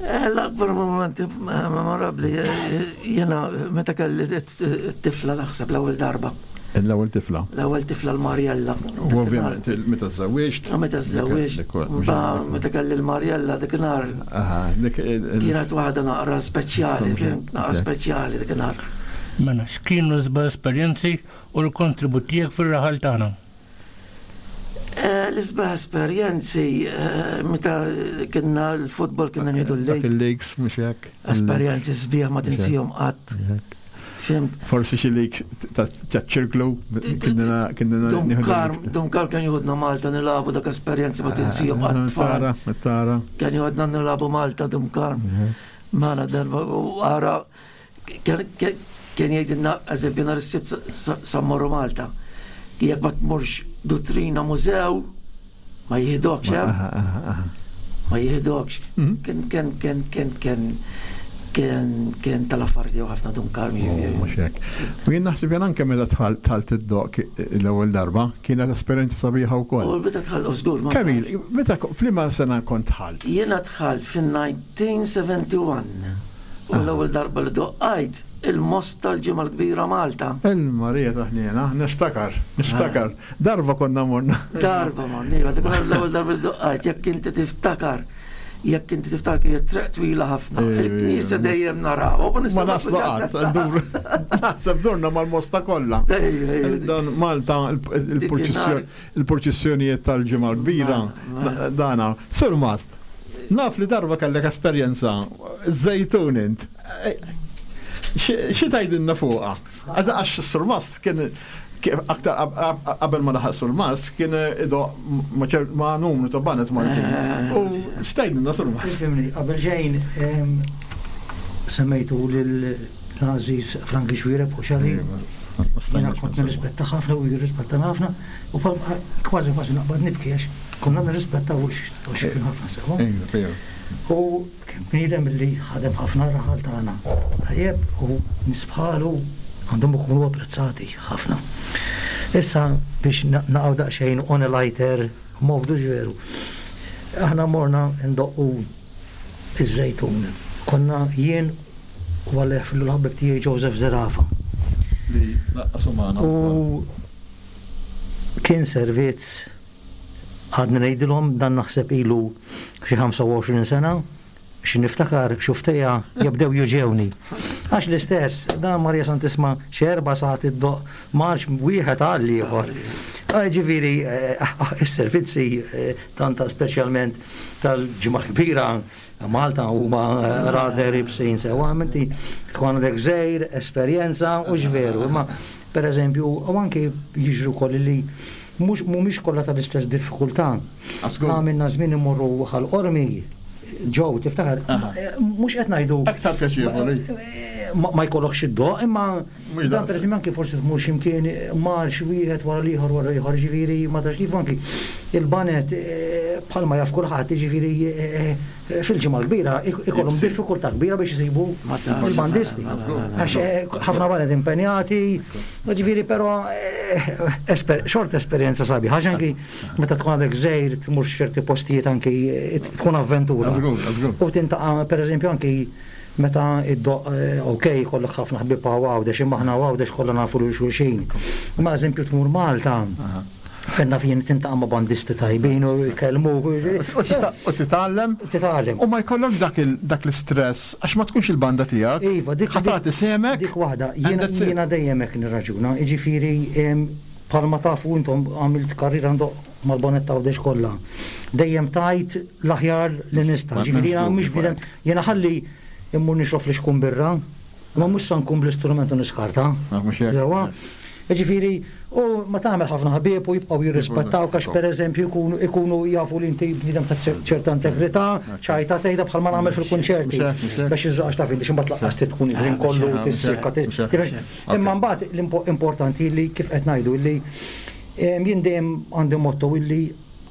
Eh, l-akbar momenti memorabbli eh, jiena meta kelli t-tifla naħseb l-ewwel darba. L-ewwel tifla. L-ewwel tifla l-Marjella. U ovvjament meta żewwiġt. Meta żewwiġt. Meta kelli l-Marjella dik nhar. Kienet waħda naqra speċjali, naqra speċjali dik nhar. Mela, x'kienu l-isbaħ esperjenzi u l-kontribut tiegħek fir-raħal tagħna? Eh, l-isbaħ esperjenzi eh, meta kienna l-futbol kienna nieħdu l-league. Il-leagues mhux hekk. Esperjenzi sbieħ ma tinsihom qatt. Fimt. Forsi xi league ta' ċirklu kienna kienna Dun Karm kien jieħudna Malta nilagħbu dak esperjenzi ma tinsihom qatt. Tara, tara. Kien jieħudna nilagħbu Malta Dun Karm. Mela darba u ara Kien jgħidilna, eżempju, nhar is-Sibt sa mmorru Malta. Jekk ma tmurx duttrina mużew, ma jieħdokx, eh? Ma jieħdokx. Mhm. Kien kien kien kien kien kien kien tal-affarijiet jew ħafna dun karmi. Oh, mhux hekk. U jien naħseb jien anke meta dħalt id-doq l-ewwel darba, kienet esperjenza sabiħa wkoll. U meta dħalt żgur. Kamil, meta f'liema sena kont dħalt? Jiena dħalt fin-1971. U l-ewwel darba li doqqajt il-most tal-Ġimgħa l-Kbira Malta. Il-Marija ta' ħniena, niftakar, niftakar. Darba konna morna. Darba morna, iva, dik l-ewwel darba li doqqajt, jekk inti tiftakar, jekk inti tiftakar kienet triq twila ħafna. Il-knisja dejjem naraw. Ma naslu qatt, naħseb durna mal-mosta kollha. Dan Malta il-purċissjonijiet tal-Ġimgħa l-Kbira, dana, Sur Mast. Naf li darba kellek esperjenza, żejtun int. Xi tgħidilna fuqha? Għax Surmast kien aktar qabel ma laħaq Surmast kien idoq ma' numru ta' banet Maltin. Eh. U x'tgħidilna Surmast? Ifhimni, qabel xejn semmejtu lil l-għażiż Franki Xwireb u xali. Jiena kont nirrispetta ħafna u jirrispetta ħafna u kważi kważi naqbad nibki għax konna nirrispettaw u xi kien ħafna sewa. U kien bniedem li ħadem ħafna raħal tagħna. Tajjeb u nies bħalu għandhom ikunu apprezzati ħafna. Issa biex naqgħu daqsxejn on a lighter mode veru. Aħna morna ndoqqu iż-Żejtun. Konna jien u Alla jaħfirlu l-ħabib tiegħi Joseph Zerafa. Li laqqas hu magħna. U kien servizz għadni ngħidilhom dan naħseb ilu xi 25 sena xi niftakar xuftejja jabdew juġewni. Għax l-istess, dan Marija Santisma xi erba' sagħat iddoqq marx wieħed għal ieħor. Ġifieri is-servizzi tant speċjalment tal-Ġimgħa Kbira Malta huma rather ibsin sewa, inti tkun għandek żgħir, esperjenza u x'veru. Imma pereżempju, u anki jiġru wkoll li mhux mhumiex kollha tal-istess diffikultà. Għamilna żmien immorru Ħal Qormi, ġew tiftakar, mhux qed ngħidu. Aktar pjaċevoli. Ma jkollokx id-doq, imma dan pereżempju anki forsi tmur x'imkien marx wieħed wara l-ieħor wara l-ieħor, ġifieri ma tafx kif anki il-banet bħalma jaf kulħadd, jiġifieri fil-Ġimgħa l-Kbira ikollhom diffikultà kbira biex isibu il-bandisti. Għax ħafna banet impenjati, ġifieri però xorta esperjenza sabiħa, għax anki meta tkun għadek żgħir tmur x'ċerti postijiet anki tkun avventura. U tintaqa' pereżempju anki meta iddoqq ok jkollok ħafna ħbieb hawn Għawdex imma aħna Għawdex kollha nafu lil xulxin. Imma eżempju tmur Malta, fejn naf jien tintaqa' ma' bandisti tajbin u jkellmuk. U titgħallem. Titgħallem. U ma jkollokx dak l-istress għax ma tkunx il-banda tiegħek. Iva, dik. Ħa tagħti sehmek. Dik waħda. Jiena dejjem hekk nirraġuna. Jiġifieri bħalma tafu intom għamilt karriera ndoqq mal-Bonett Għawdex kollha. Dejjem tajt l-aħjar li nista'. Ġifieri jiena mhix bniedem, jiena ħalli immur nixrob flixkun birra, imma mhux sa nkun bl-istrument u niskarta. Sewwa? Ġifieri, u ma tagħmel ħafna ħbieb u jibqgħu jirrispettawk għax pereżempju jkunu ikunu jafu li inti bniedem ta' ċerta integrità, ċajta tgħidha bħalma nagħmel fil-kunċerti. Biex iżżoq għax taf inti x'imbagħad laqqas trid tkun il-ħin kollu tissikka. Imma mbagħad l-importanti li kif qed ngħidu li Jien dejjem għandi motto illi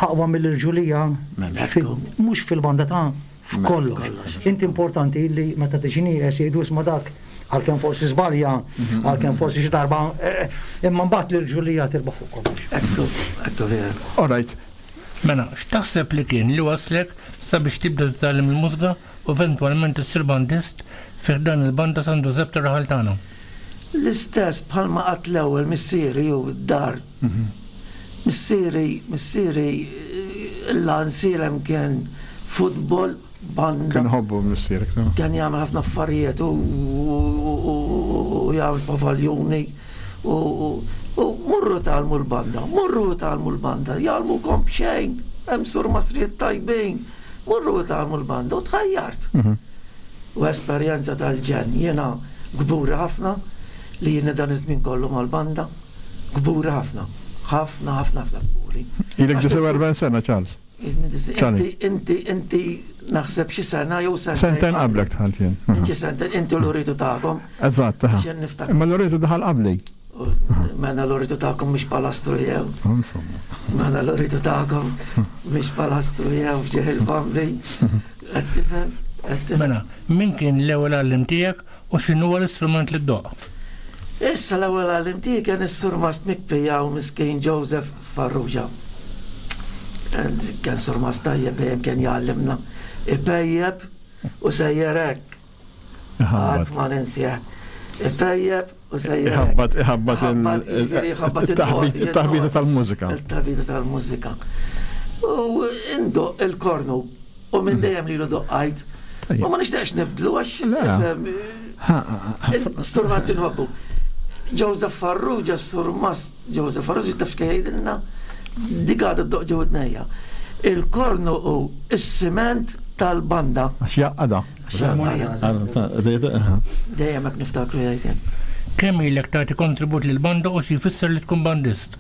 aqwa mill-irġulija mhux fil-banda ta' f'kollox. Inti importanti illi meta tiġi nieqes jgħidu isma' dak għalkemm forsi żbalja, mhm. għalkemm forsi xi darba, eh, imma mbagħad l-irġulija tirbaħ fuq kollox. Ekku, ekku vera. All right. Mela, x'taħseb li kien li waslek sabiex tibda titgħallem il-mużika u eventwalment issir bandist fi ħdan il-Banda San Ġużepp tar-raħal tagħna? L-istess bħalma qatt l-ewwel missieri u d-dar. Missieri, missieri l-għansielem kien futbol, banda. Kien iħobbu missierek, no? Kien jagħmel ħafna affarijiet u jagħmel pavaljuni u morru tgħallmu l-banda, morru tgħallmu l-banda, jgħallmukom b'xejn, hemm surmastrijiet tajbin, morru tgħallmu l-banda u tħajjart. U esperjenza tal-ġenn. Jiena kburi ħafna li jiena dan iż-żmien kollu mal-banda. Kburi ħafna. Ħafna, ħafna, ħafna kburi. Ilek 49 sena, Charles. Inti, inti, inti naħseb xi sena jew sena. Sentejn qablek dħalt jien. Xi sentejn, inti l-uritu tagħkom. Eżatt, Imma l-uritu daħal qabli. Mela l-oritu tagħkom mhix palastru jew. Insomma. Mela l-oritu tagħkom mhix palastru jew f'ġieħ il-bambi. Qed tifhem? Mela, min kien l-ewwel għallim tiegħek u x'inhuwa l-istrument li ddoqq? Issa l-ewwel għallim tiegħi kien is-surmast Mikpija u miskin Joseph Farrugia. Kien surmast tajjeb dejjem kien jgħallimna. Ipejjeb u sejjer hekk. Qatt ma ninsih. Ipejjeb u sejjer. Iħabbat, iħabbat il-taħbita tal-mużika. Il-taħbita tal-mużika. U indoq il-kornu u minn dejjem lilu doqqajt. U ma nixtieqx nibdlu għax Sturmant inħobbu. Joseph Farrugia, surmast Joseph Farrugia taf x'kien jgħidilna dik għadha ddoq ġew id-dnejja. Il-kornu hu s-siment tal-banda. Għax jaqada. Dejjem hekk niftakru jgħid. Kemm ilek tagħti kontribut lill-banda u xi jfisser li tkun bandist?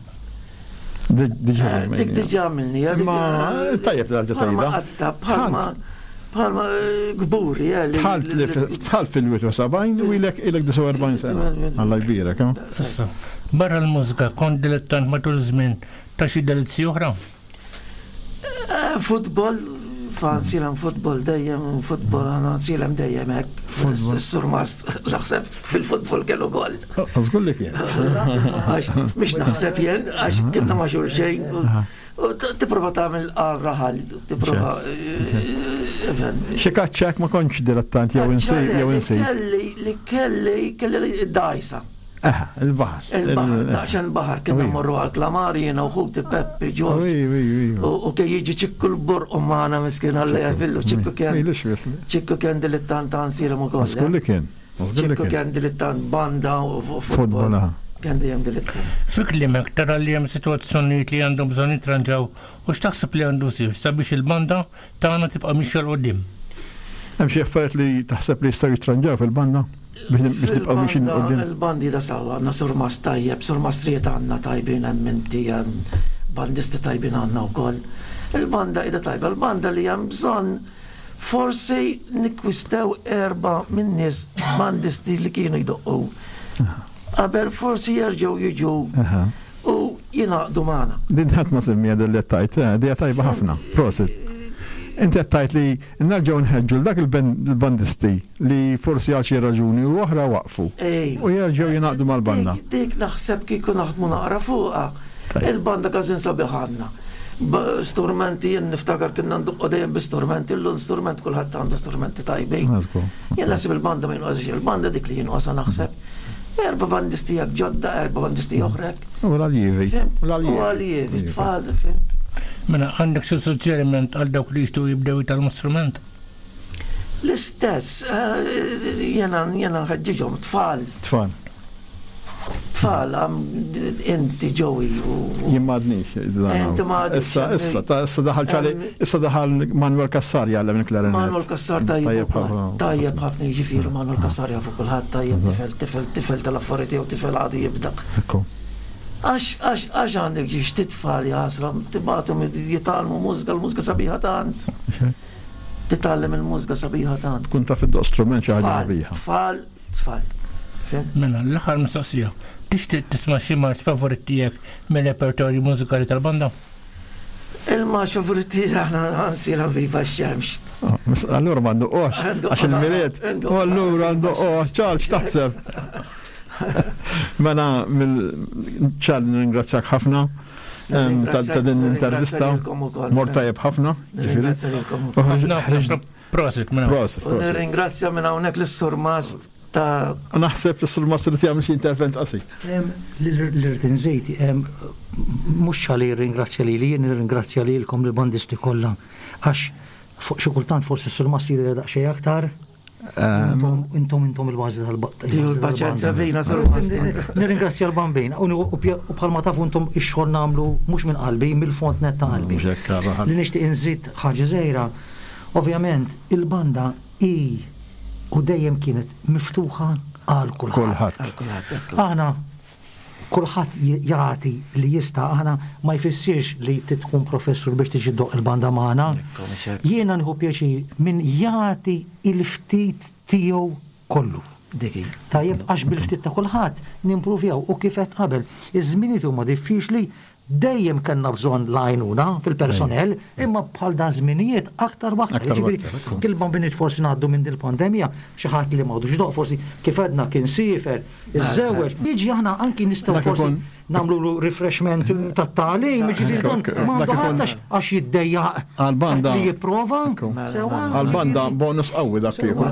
Dik diġà għamilni. Ma tajjeb l-arġa tajba. Bħalma bħalma eh, gburi. Eh, Tħalt fil-71 u ilek ilek 49 sena. Alla jbirek. Eh? Issa, barra l-mużika kont dilettant matul żmien ta' xi delizzi oħra? Futbol, fansilem futbol dejjem, futbol għana nsilem dejjem hekk. Surmast, naħseb fil-futbol kellu gol. Żgur li kien. Għax mhix naħseb jien, għax kienna ma' xulxejn. Tipprova tagħmel għal raħal, tipprova. Eh, Xi kaċċak ma kontx dilettant jew insej jew insej. Kelli li kelli kelli dajsa. Eħe, il-baħar. Il-baħar, daqsxejn baħar, kien mmorru għal klamar jiena u ħuti Peppi, Ġorġ. U kien jiġi ċikku l-borq u magħna miskin għalla jafillu, ċikku kien. Ċikku kien dilettant għansilem ukoll. Skulli kien. Ċikku kien dilettant banda u futbol. Kien dejjem dilettant. Fi kliemek tara li hemm sitwazzjonijiet li għandhom bżonn jitranġaw u x'taħseb li għandu jsir sabiex il-banda tagħna tibqa' mixja 'l quddiem? Hemm xi affarijiet li taħseb li jistgħu jitranġaw fil-banda biex nibqgħu mixjin 'l quddiem? Il-bandi da sawa għandna surmast tajjeb, surmastrijiet għandna tajbin hemm inti hemm bandisti tajbin għandna wkoll. Il-banda qiegħda tajba, il-banda li hemm bżonn Forsi nikkwistew erbgħa min-nies bandisti li kienu jdoqqu qabel forsi jerġgħu jiġu u jingħaqdu magħna. Din ħadd ma semmija din li qed tgħid, eh, dija tajba ħafna. Prosit. Inti qed tgħid li nerġgħu nħeġġu l dak il-bandisti li forsi għal xi raġuni u oħra waqfu. U jerġgħu jingħaqdu mal-banda. Dik naħseb kieku naħdmu naqra fuqha. Il-banda każin sabiħ għandna. Strumenti, jien niftakar kienna nduqqu dejjem bi strumenti, illum strument kulħadd għandu strumenti tajbin. Jien naħseb il-banda ma jinqosx, il-banda dik li jinqosha naħseb. Erba bandisti jak ġodda, erba bandisti oħrek. U l-aljievi. U l-aljievi, tfal, fimt. Mela, għandek xi suġġeriment għal dawk li jixtiequ jibdew jitgħallmu strument? L-istess, eh, jena jena nħeġġiġhom tfal. Tfal. Tfal, inti ġowi u. Jien m'għadnix. Inti m'għadnix. Issa, issa, ta' issa daħal ċali, issa daħal Manuel Kassar jgħallem il-klarinet. Manuel Kassar tajjeb ħafna. Tajjeb ħafna jiġifieri Manuel Kassar jafu kulħadd tajjeb tifel, tifel, tifel tal-affarijiet jew tifel għadu jibda. Għax, għax, għax għandek ġiex titfal jasra, tibgħathom jitgħallmu mużika, l-mużika sabiħa tant. Titgħallem il-mużika sabiħa tant. Tkun taf iddoq strument xi ħaġa sabiħa. Tfal, tfal. Mela, l-aħħar mistoqsija. Tixtieq tisma' xi marċ favorit tiegħek mir-repertorju mużikali tal-banda? Il-marċ favorit tiegħi aħna nsira viva x-xemx. Ah, allura ma nduqox, għax il-milied. U allura nduqox, ċar x'taħseb? Mela, ċar nirringrazzjak ħafna ta' din l-intervista. Mort tajjeb ħafna. Prosit, minn Prosit. U nirringrazzja minn hawnhekk lis-Surmast ta' Naħseb li s-Surmast irid jagħmel xi intervent qasir. Li rrid inżid, mhux ċali jirringrazzja lili, jien nirringrazzja lilkom lill-bandisti kollha għax fuq xi kultant forsi s-Surmast jidher daqsxejn aktar Intom, intom, intom il-bażi tal-banda. Il-paċenzja fina, Surmast. Nirringrazzja l-bambin. U bħalma tafu intom ix-xogħol nagħmlu mhux minn qalbi, mill-fond net ta' qalbi. Li nixtieq inżid ħaġa żgħira, Ovvjament il-banda hi u dejjem kienet miftuħa għal kulħadd. Aħna kulħadd jagħti li jista' aħna ma jfissirx li trid tkun professur biex tiġi ddoqq il-banda magħna. Jiena nieħu pjaċir min jagħti il-ftit tiegħu kollu. Tajjeb għax bil-ftit ta' kulħadd nimpruvjaw u kif għedt qabel, iż-żminijiet huma diffiċli Dejjem kellna bżonn l-għajnuna fil-personnel, imma bħal dan żminijiet aktar u aktar. Jiġifieri, kil ma biniet forsi ngħaddu minn din il-pandemija, xi ħadd li m'għadux idoqq forsi kif għedna kien siefer, iżżewweġ, jiġi aħna anki nistgħu forsi nagħmlulu refreshment tat-tagħlim, jiġifieri dan m'għandu ħadd għax jiddejjaq Għal-banda. li jipprova. Sewwa. Għal-banda bonus qawwi dak kieku.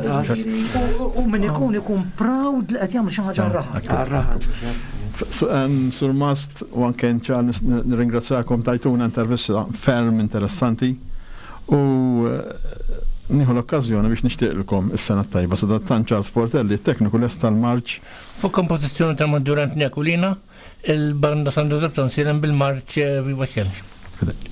U min ikun ikun proud li qed jagħmel xi ħaġa għar-raħal. Sur Mast u anke ċar nirringrazzjakom tajtuna intervista ferm interessanti u eh, nieħu l-okkażjoni biex nixtieqilkom is-sena tajba. Sadattant Charles Portelli, tekniku lest tal-marċ. Fuq kompożizzjoni tal-Maġġur Anthony Aquilina, il-banda San Giuseppe Tonsilem bil-marċ eh, Viva Xemx. Fidek.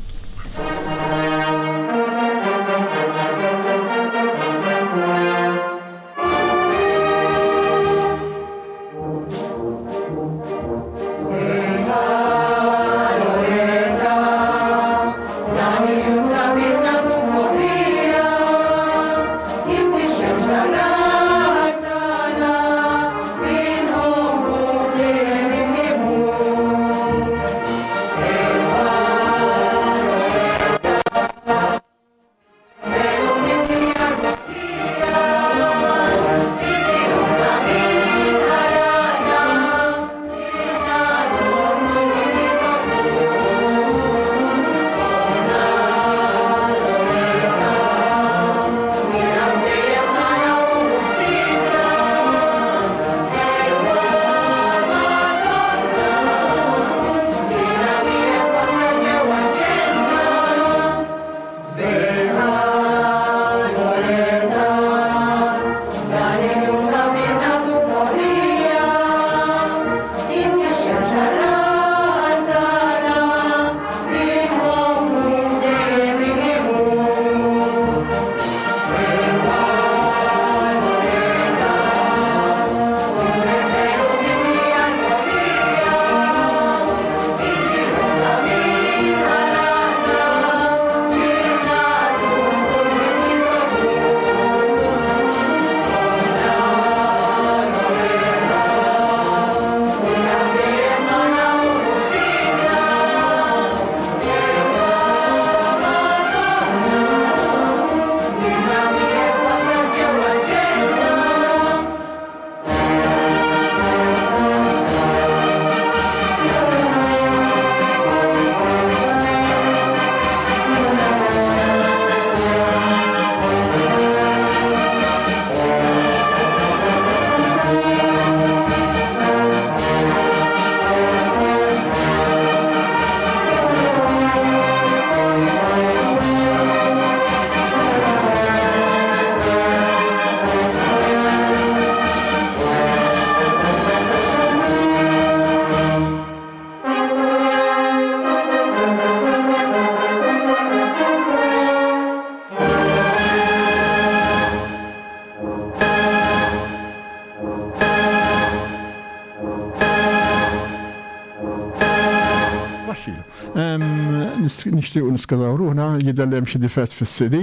Nixtiequ niskażaw ruħna, jidher li hemm xi difett fis-CD.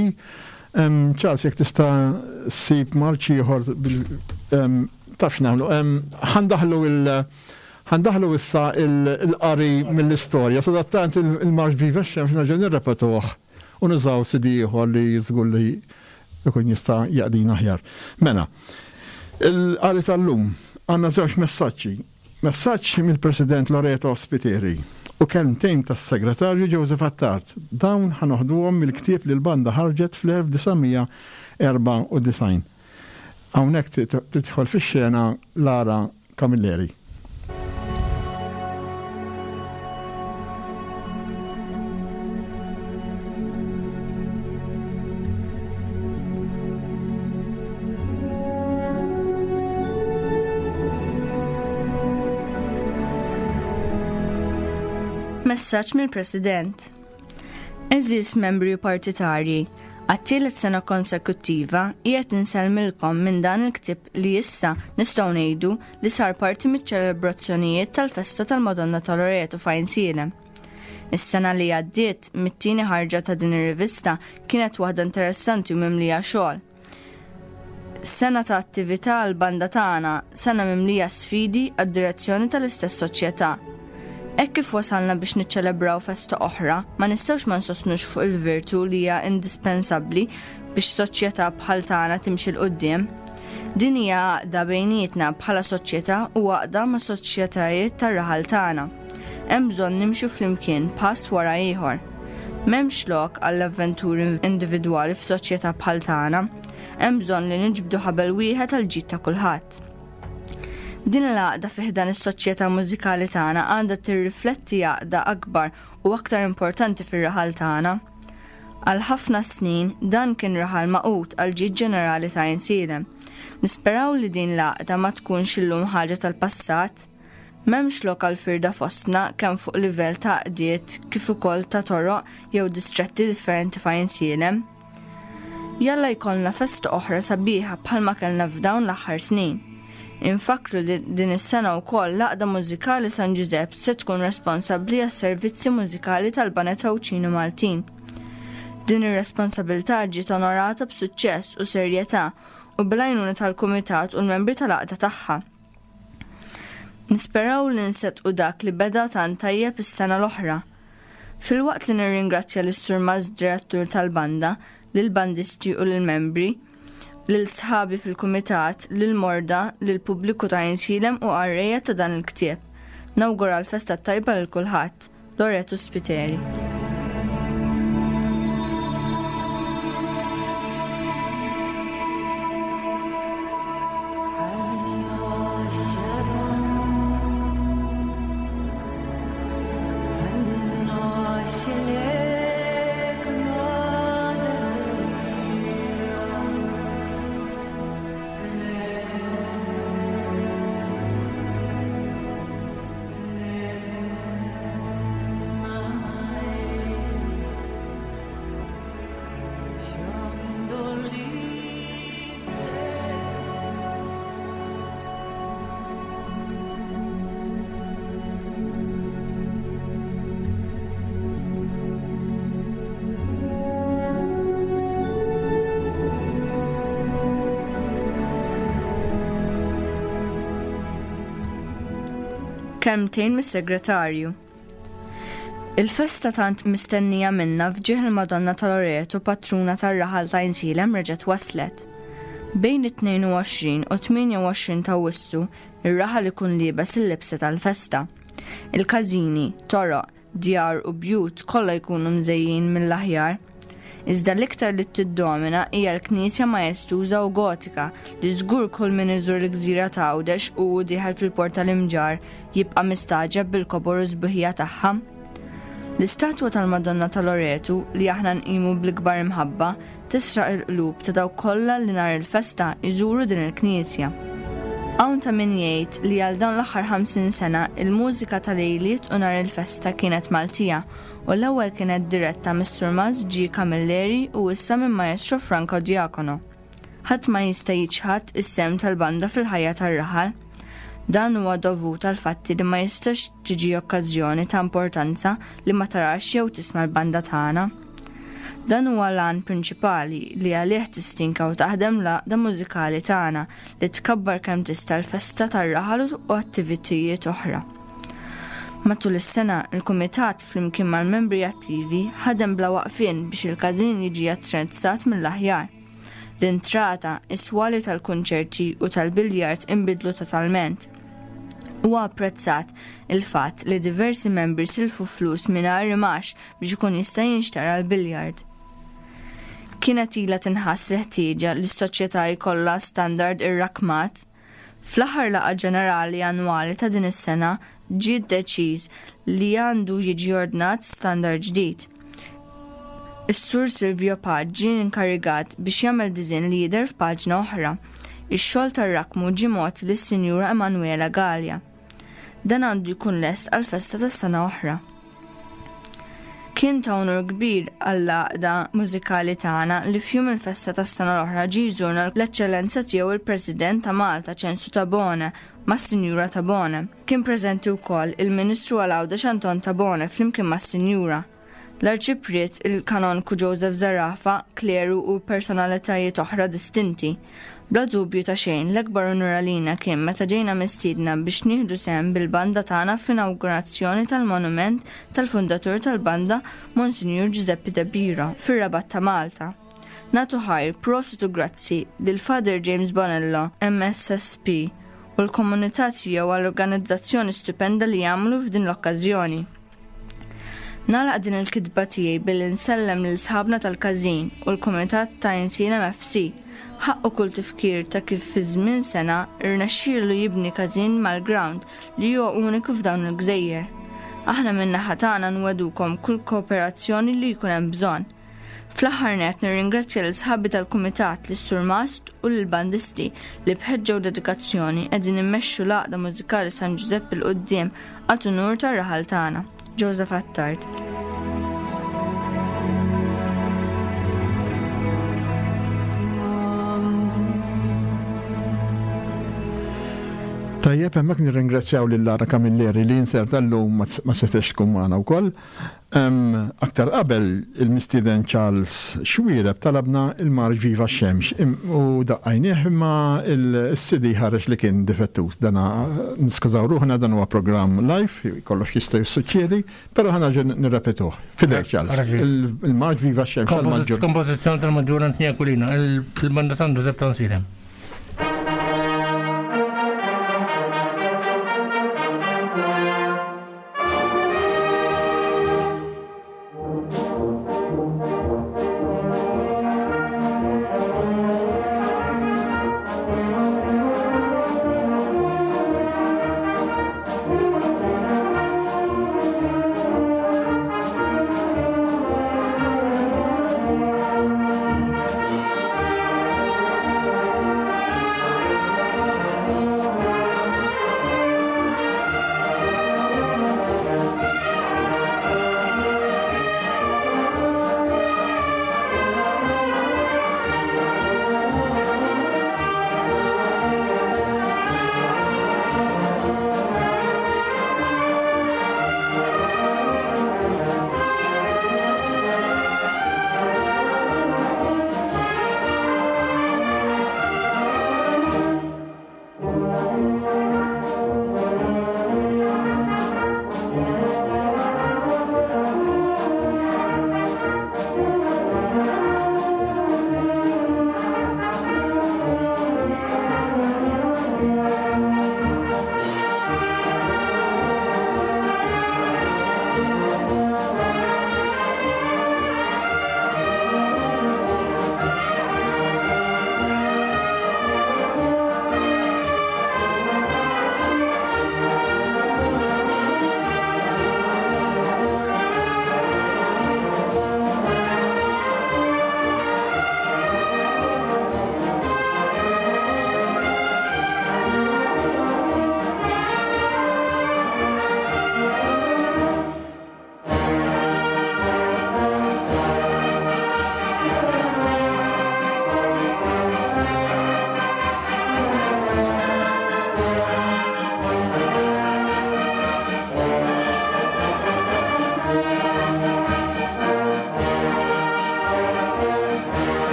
Charles, jekk tista' ssib marċ ieħor taf x'nagħmlu. Ħandaħlu il ħandaħlu issa il-qari mill-istorja. Sadattant il-marċ Viva x-Xemx nerġa' nirrepetuh u nużaw CD ieħor li żgur li jkun jista' jaqdina aħjar. Mela, il-qari tal-lum għandna żewġ messaġġi. Messaġġ mill-President Loreto Spiteri u kelmtejn tas-Segretarju Joseph Attard. Dawn ħa noħduhom mill-ktieb li l-banda ħarġet fl-1994. Hawnhekk tidħol fix-xena Lara Camilleri. Messaġġ mill-President. Eżis membri u partitarji, għat-tielet sena konsekuttiva qiegħed insellmilkom minn dan il-ktieb li issa nistgħu ngħidu li sar parti miċ-ċelebrazzjonijiet tal-festa tal-Madonna ta' Loreto f'Għajnsielem. Is-sena li għaddiet mit-tieni ħarġa ta' din ir-rivista kienet waħda interessanti u mimlija xogħol. Sena ta' attività għal banda tagħna, sena mimlija sfidi għad-direzzjoni tal-istess soċjetà. Hekk kif wasalna biex niċċelebraw festa oħra, ma nistgħux ma nsostnux fuq il-virtu li hija indispensabbli biex soċjetà bħal tagħna timxi 'l quddiem. Din hija għaqda bejnietna bħala soċjetà u għaqda ma' soċjetajiet tar-raħal tagħna. Hemm bżonn nimxu flimkien pass wara ieħor. M'hemmx lok għall-avventuri individwali f'soċjetà bħal tagħna. Hemm bżonn li niġbdu ħabel wieħed għall-ġid ta' kulħadd. Din l-għaqda fi ħdan is-soċjetà mużikali tagħna għandha tirrifletti għaqda akbar u aktar importanti fir-raħal tagħna. Għal ħafna snin dan kien raħal magħqud għall-ġid ġenerali ta' Għajnsielem. Nisperaw li din l-għaqda ma tkunx illum ħaġa tal-passat. M'hemmx lok għal firda fostna kemm fuq livell ta' għaqdiet kif ukoll ta' toroq jew distretti differenti f'Għajnsielem. Jalla jkollna festa oħra sabiħa bħalma kellna f'dawn l-aħħar snin. Infakkru li din is-sena wkoll l-Għaqda Mużikali San Ġużepp se tkun responsabbli għas-servizzi mużikali tal-Baned Għawdxin u Maltin. Din ir-responsabilità ġiet onorata b'suċċess u serjetà u bil-għajnuna tal-kumitat u l-membri tal-għaqda tagħha. Nisperaw li nseddqu dak li beda tant tajjeb is-sena l-oħra. Filwaqt li nirringrazzja lis-Surmast Direttur tal-Banda, lill-bandisti u lill-membri, lil sħabi fil-kumitat, lill-morda, lill-pubbliku ta' Għajnsielem u qarrejja ta' dan il-ktieb. Nawgura l-festa t-tajba lil kulħadd. Loreto Spiteri. Kelmtejn mis-Segretarju. Il-festa tant mistennija minna f'ġieħ il-Madonna ta' Loreto patruna tar-raħal ta' Għajnsielem reġgħet waslet. Bejn it-22 u 28 ta' Awwissu, ir-raħal ikun liebes il-libsa tal-festa. Il-każini, toroq, Djar u bjut kollha jkunu mżejjin mill-aħjar. Iżda l-iktar li tiddomina hija l-knisja majestuża u gotika li żgur kull min iżur l-gżira ta' Għawdex u hu dieħel fil-port tal-Imġarr jibqa' mistagħġeb bil-kobor u s-sbuħija tagħha. L-istatwa tal-Madonna ta' Loretu li aħna nqimu bl-ikbar imħabba Tisraq il-qlub ta' dawk kollha li nhar il-festa jżuru din il-knisja. Hawn ta' min jgħid li għal dawn l-aħħar 50 sena il-mużika ta' lejliet u nhar il-festa kienet Maltija u l-ewwel kienet diretta mis-Surmast G. Camilleri u issa minn Maestro Franco Diacono. Ħadd ma jista' jiċħad is-sehem tal-banda fil-ħajja tar-raħal. Dan huwa dovut għal fatti li ma jistax tiġi okkażjoni ta' importanza li ma tarax jew tisma' l-banda tagħna. Dan huwa l-għan prinċipali li għalih tistinka u taħdem l-għaqda mużikali tagħna li tkabbar kemm tista' l-festa tar-raħal u attivitijiet oħra. Matul is-sena, il-Kumitat flimkien mal-membri attivi ħadem bla waqfien biex il-każin jiġi attrezzat mill-aħjar. L-intrata, is-swali tal-kunċerti u tal-biljard inbidlu totalment. Huwa apprezzat il-fatt li diversi membri silfu flus mingħajr imax biex ikun jista' jinxtara l-biljard. Kienet ilha tinħass il-ħtieġa li s-soċjetà jkollha standard irrakkmat. Fl-aħħar laqgħa ġenerali annwali ta' din is-sena ġie deċiż li għandu jiġi ordnat standard ġdid. Is-Sur Silvio Pace ġie inkarigat biex jagħmel diżinn li jidher f'paġna oħra. Ix-xogħol tar-rakkmu ġie mogħti lis-Sinjura Emanuela Galea. Dan għandu jkun lest għall-festa ta' sena oħra. Kien ta' unur kbir għall-għaqda mużikali tagħna li f'jum il-festa tas-sena l-oħra ġie jżurna l-Eċċellenza Tiegħu il-President ta' Malta Ċensu Tabone mas-Sinjura Tabone. Kien preżenti wkoll il-Ministru għal Għawdex Anton Tabone flimkien mas-Sinjura. L-Arċipriet, il-Kanonku Joseph Zerafa, kleru u personalitajiet oħra distinti. Bla dubju ta' xejn, l-akbar unur għalina kien meta ġejna mistiedna biex nieħdu sehem bil-banda tagħna fl-inawgurazzjoni tal-monument tal-fundatur tal-banda Monsinjur Giuseppe De Biro fir-Rabat ta' Malta. Nagħtu ħajr, prosit u grazzi lil Father James Bonello, MSSP, u l-komunità tiegħu għall-organizzazzjoni stupenda li għamlu f'din l-okkażjoni. Nagħlaq din il-kitba tiegħi billi nsellem lil sħabna tal-każin u l-kumitat ta' Għajnsielem FC. Ħaqqu kull tifkir ta' kif fi żmien sena rnexxielu jibni każin mal-ground li huwa uniku f'dawn il-gżejjer. Aħna min-naħa tagħna nwegħdukom kull kooperazzjoni li jkun hemm bżonn. Fl-aħħar nett nirringrazzja lil sħabi tal-kumitat, lis-surmast u lill-bandisti li b'ħeġġa u dedikazzjoni qegħdin immexxu l-Għaqda Mużikali San Ġużepp 'il quddiem għad unur tar-raħal tagħna. Joseph Attard. Tajjeb, hemmhekk nirringrazzjaw lil Lara Camilleri li inserta llum ma setgħetx tkun magħna wkoll. Aktar qabel il-mistieden Charles Xuereb talabna il-marx Viva x-Xemx u daqqajnieh imma s-CD ħareġ li kien difettuż. Dana niskużaw ruħna dan huwa programm live, kollox jista' jissuċċedi, però ħa nerġa' nirrepetuh. Fidejk Charles. Il-marx Viva x-Xemx tal-Maġġur. Kompożizzjoni tal-Maġġur Anthony Aquilina, il-Banda San Giuseppe ta' Nsilem.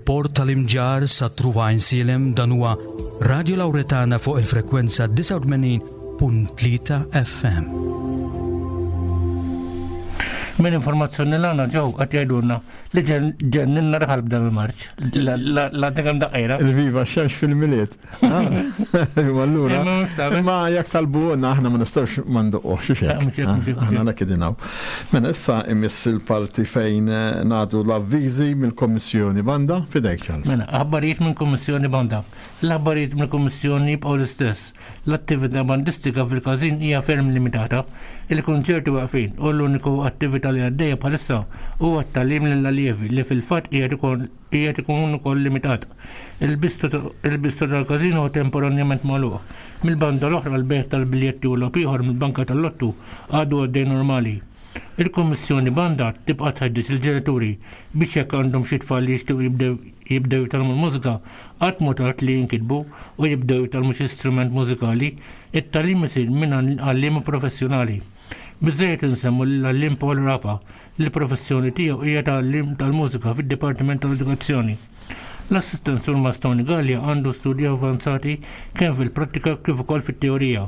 Mill-port tal-Imġarr sa Truva Għajnsielem dan huwa Radio Lauretana fuq il-frekwenza 89.3 FM. Minn informazzjoni l-għana ġew qed jgħidulna li ġenninna raħal b'dan il-marċ. L-għadna kemm daqqejna. Il-viva xemx fil-miliet. Allura, ma jekk talbuna aħna ma nistgħux ma ndoqqux xi hekk. Aħna dak idinaw. Mela issa imiss il-parti fejn eh, nagħtu l-avviżi mill-Kommissjoni Banda fidejk Charles. Mela, aħbarijiet mill-Kummissjoni Banda. L-aħbarijiet mill-Kummissjoni jibqgħu l-istess. L-attività bandistika fil-każin hija ferm limitata. Il-kunċerti waqfin u l-uniku attività li għaddejja bħalissa huwa t-tagħlim lill-allievi li fil-fatt qiegħed ikun qiegħed ikun ukoll limitat. Il-bistro tal-każin huwa temporanjament magħluq. Mill-banda l-oħra l-bejgħ tal-biljetti u logħob ieħor mill-banka tal-lottu għadu għaddej normali. Il-Kummissjoni Banda tibqa' tħeġġeġ lill-ġenituri biex jekk għandhom xi tfal li jixtiequ jibdew jibdew jitgħallmu l-mużika, qatt mhu tard li jinkitbu u jibdew jitgħallmu xi strument mużikali. It-tagħlim isir minn għalliema professjonali. Biżżejjed insemmu lill-għalliem Paul Rapa li l-professjoni tiegħu hija ta' għalliem tal-mużika fid-Dipartiment tal-Edukazzjoni. L-assistent Surmast Tony Galea għandu studji avvanzati kemm fil-prattika kif ukoll fit-teorija.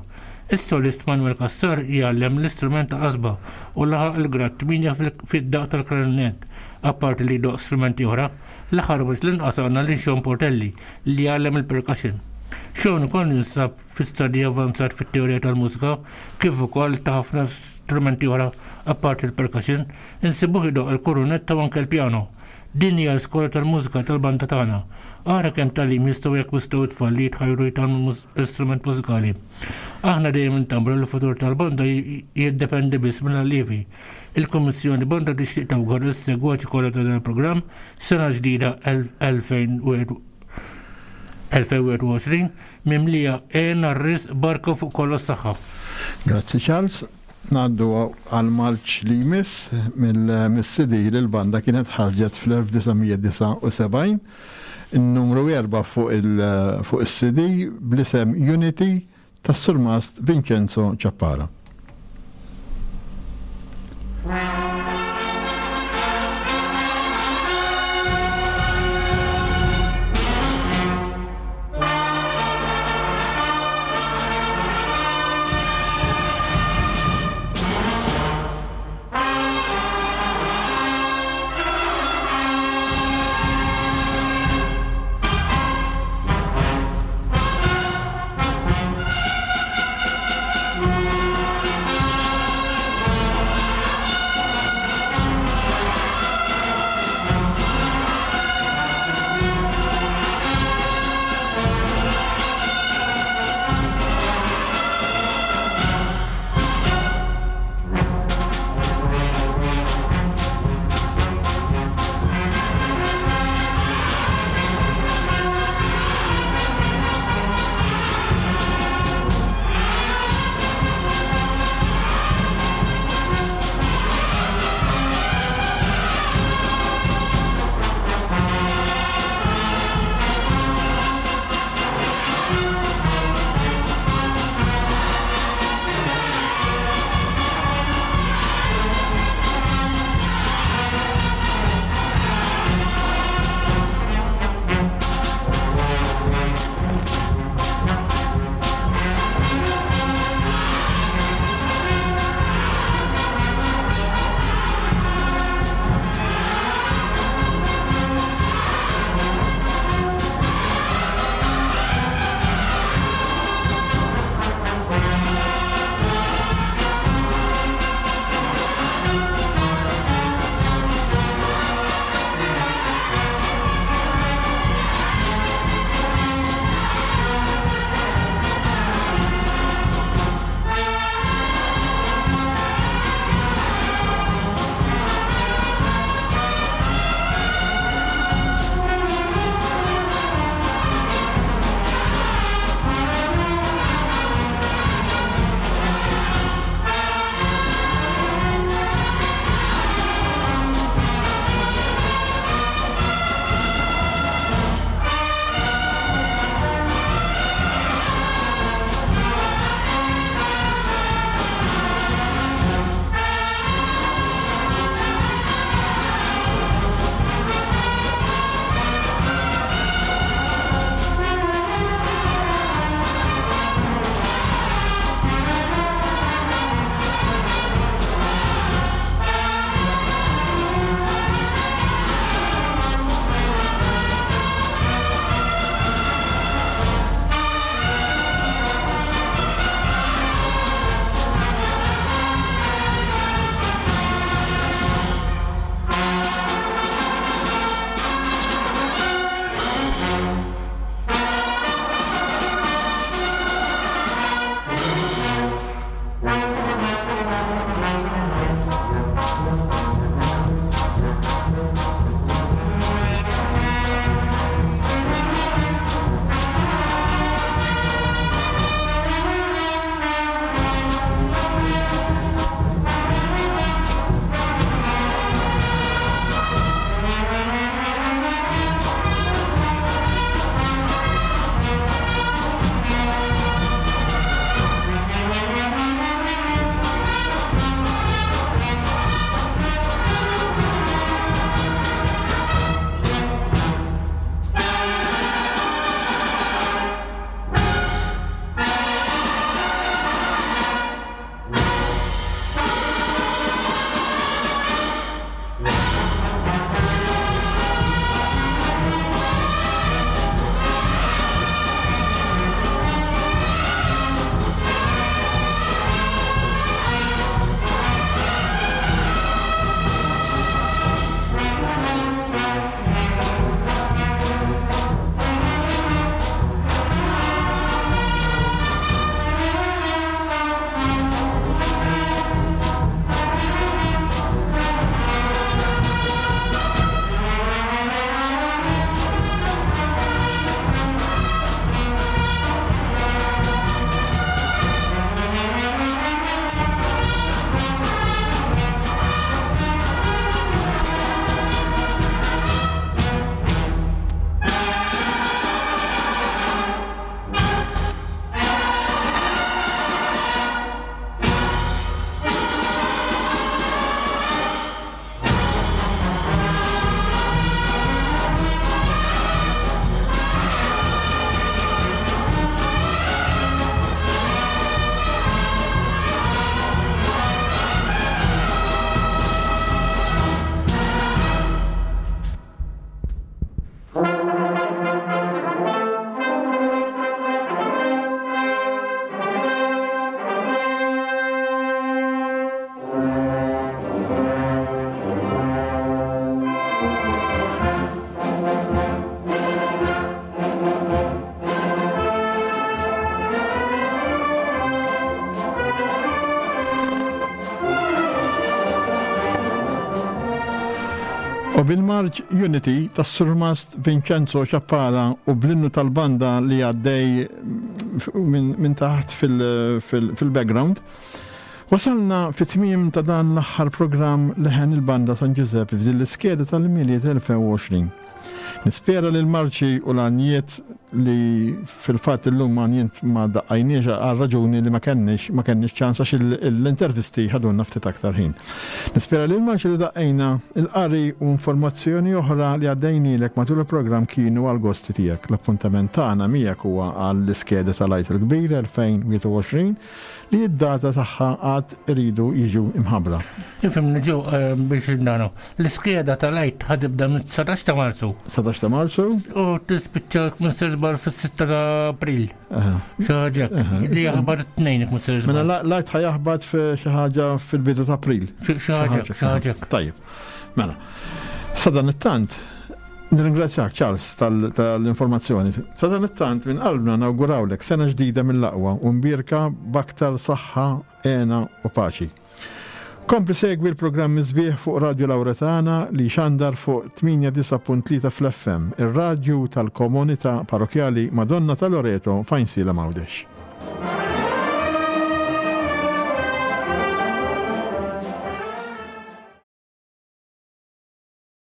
Is-solist Manuel Cassar jgħallem l-istrument tal-qasba u laħaq il-grad 8 fid-daqq tal-klarinett, apparti li jdoqq strumenti oħra. L-aħħar u mhux l-inqas għandna lil Sean Portelli li jgħallem il-percussion. Sean ukoll jinsab fi stadji avvanzat fit-teorija tal-mużika kif ukoll ta' ħafna strumenti oħra apparti l-percussion, insibuh idoqq il-kurunetta u anke l-pjano. Din hija l-iskola tal-mużika tal-banda tagħna. Ara kemm tagħlim jistgħu jakkwistaw it-tfal li jitħajru jitgħallmu l-istrument mużikali. Aħna dejjem intambru li l-futur tal-banda jiddependi biss mill-allievi. Il-Kummissjoni Banda tixtieq tawgura lis-segwaċi kollha ta' dan il-programm sena ġdida 2021 mimlija hena, riżq, barka u fuq kollox saħħa. Grazzi Charles. Ngħaddu għall-marċ li jmiss mill-CD li l-banda kienet ħarġet fl-1979, in-numru 4 fuq is-CD bl-isem Unity tas-Surmast Vincenzo Ciappara. U bil-marċ Unity tas-Surmast Vincenzo Ciappara u bl-innu tal-banda li għaddej minn taħt fil-background, wasalna fit-tmiem ta' dan l-aħħar programm Leħen il-Banda San Ġużepp f'din l-iskeda tal-Milied 2020. Nispera li l-marċi u l-għanjiet li fil-fatt illum għanjiet ma daqqajniex għal raġuni li ma kenniex ma kenniex ċans għax l-intervisti ħadulna ftit aktar ħin. Nispera li l-marċi li daqqejna, il-qari u informazzjoni oħra li għaddejnielek matul il-programm kienu għall-gosti tiegħek. L-appuntament tagħna miegħek huwa għall-iskeda tal-Għid il-Kbir 2021 li d-data tagħha għad iridu jiġu imħabbra. Ifhimni ġew eh, biex nagħnu. L-iskeda tal-Għid ħa tibda mit-19 ta' Marzu. 19 ta' Marzu. U tispiċċa minn żball fis-6 ta' April. Xi ħaġa li jaħbar it-tnejn minn żball. Mela l-Għid ħa jaħbat xi ħaġa fil-bidu ta' April. Xi ħaġa, xi ħaġa. Tajjeb. Mela. Sadanittant, Nirringrazzjak Charles tal-informazzjoni. Sadanittant minn qalbna nawgurawlek sena ġdida mill-aqwa u mbierka b'aktar saħħa, hena u paċi. Kompli segwi l-programmi sbieħ fuq Radju Lawretana li jxandar fuq 89.3 fl-FM, ir-radju tal-komunità parrokjali Madonna ta' Loreto f'Għajnsielem Għawdex.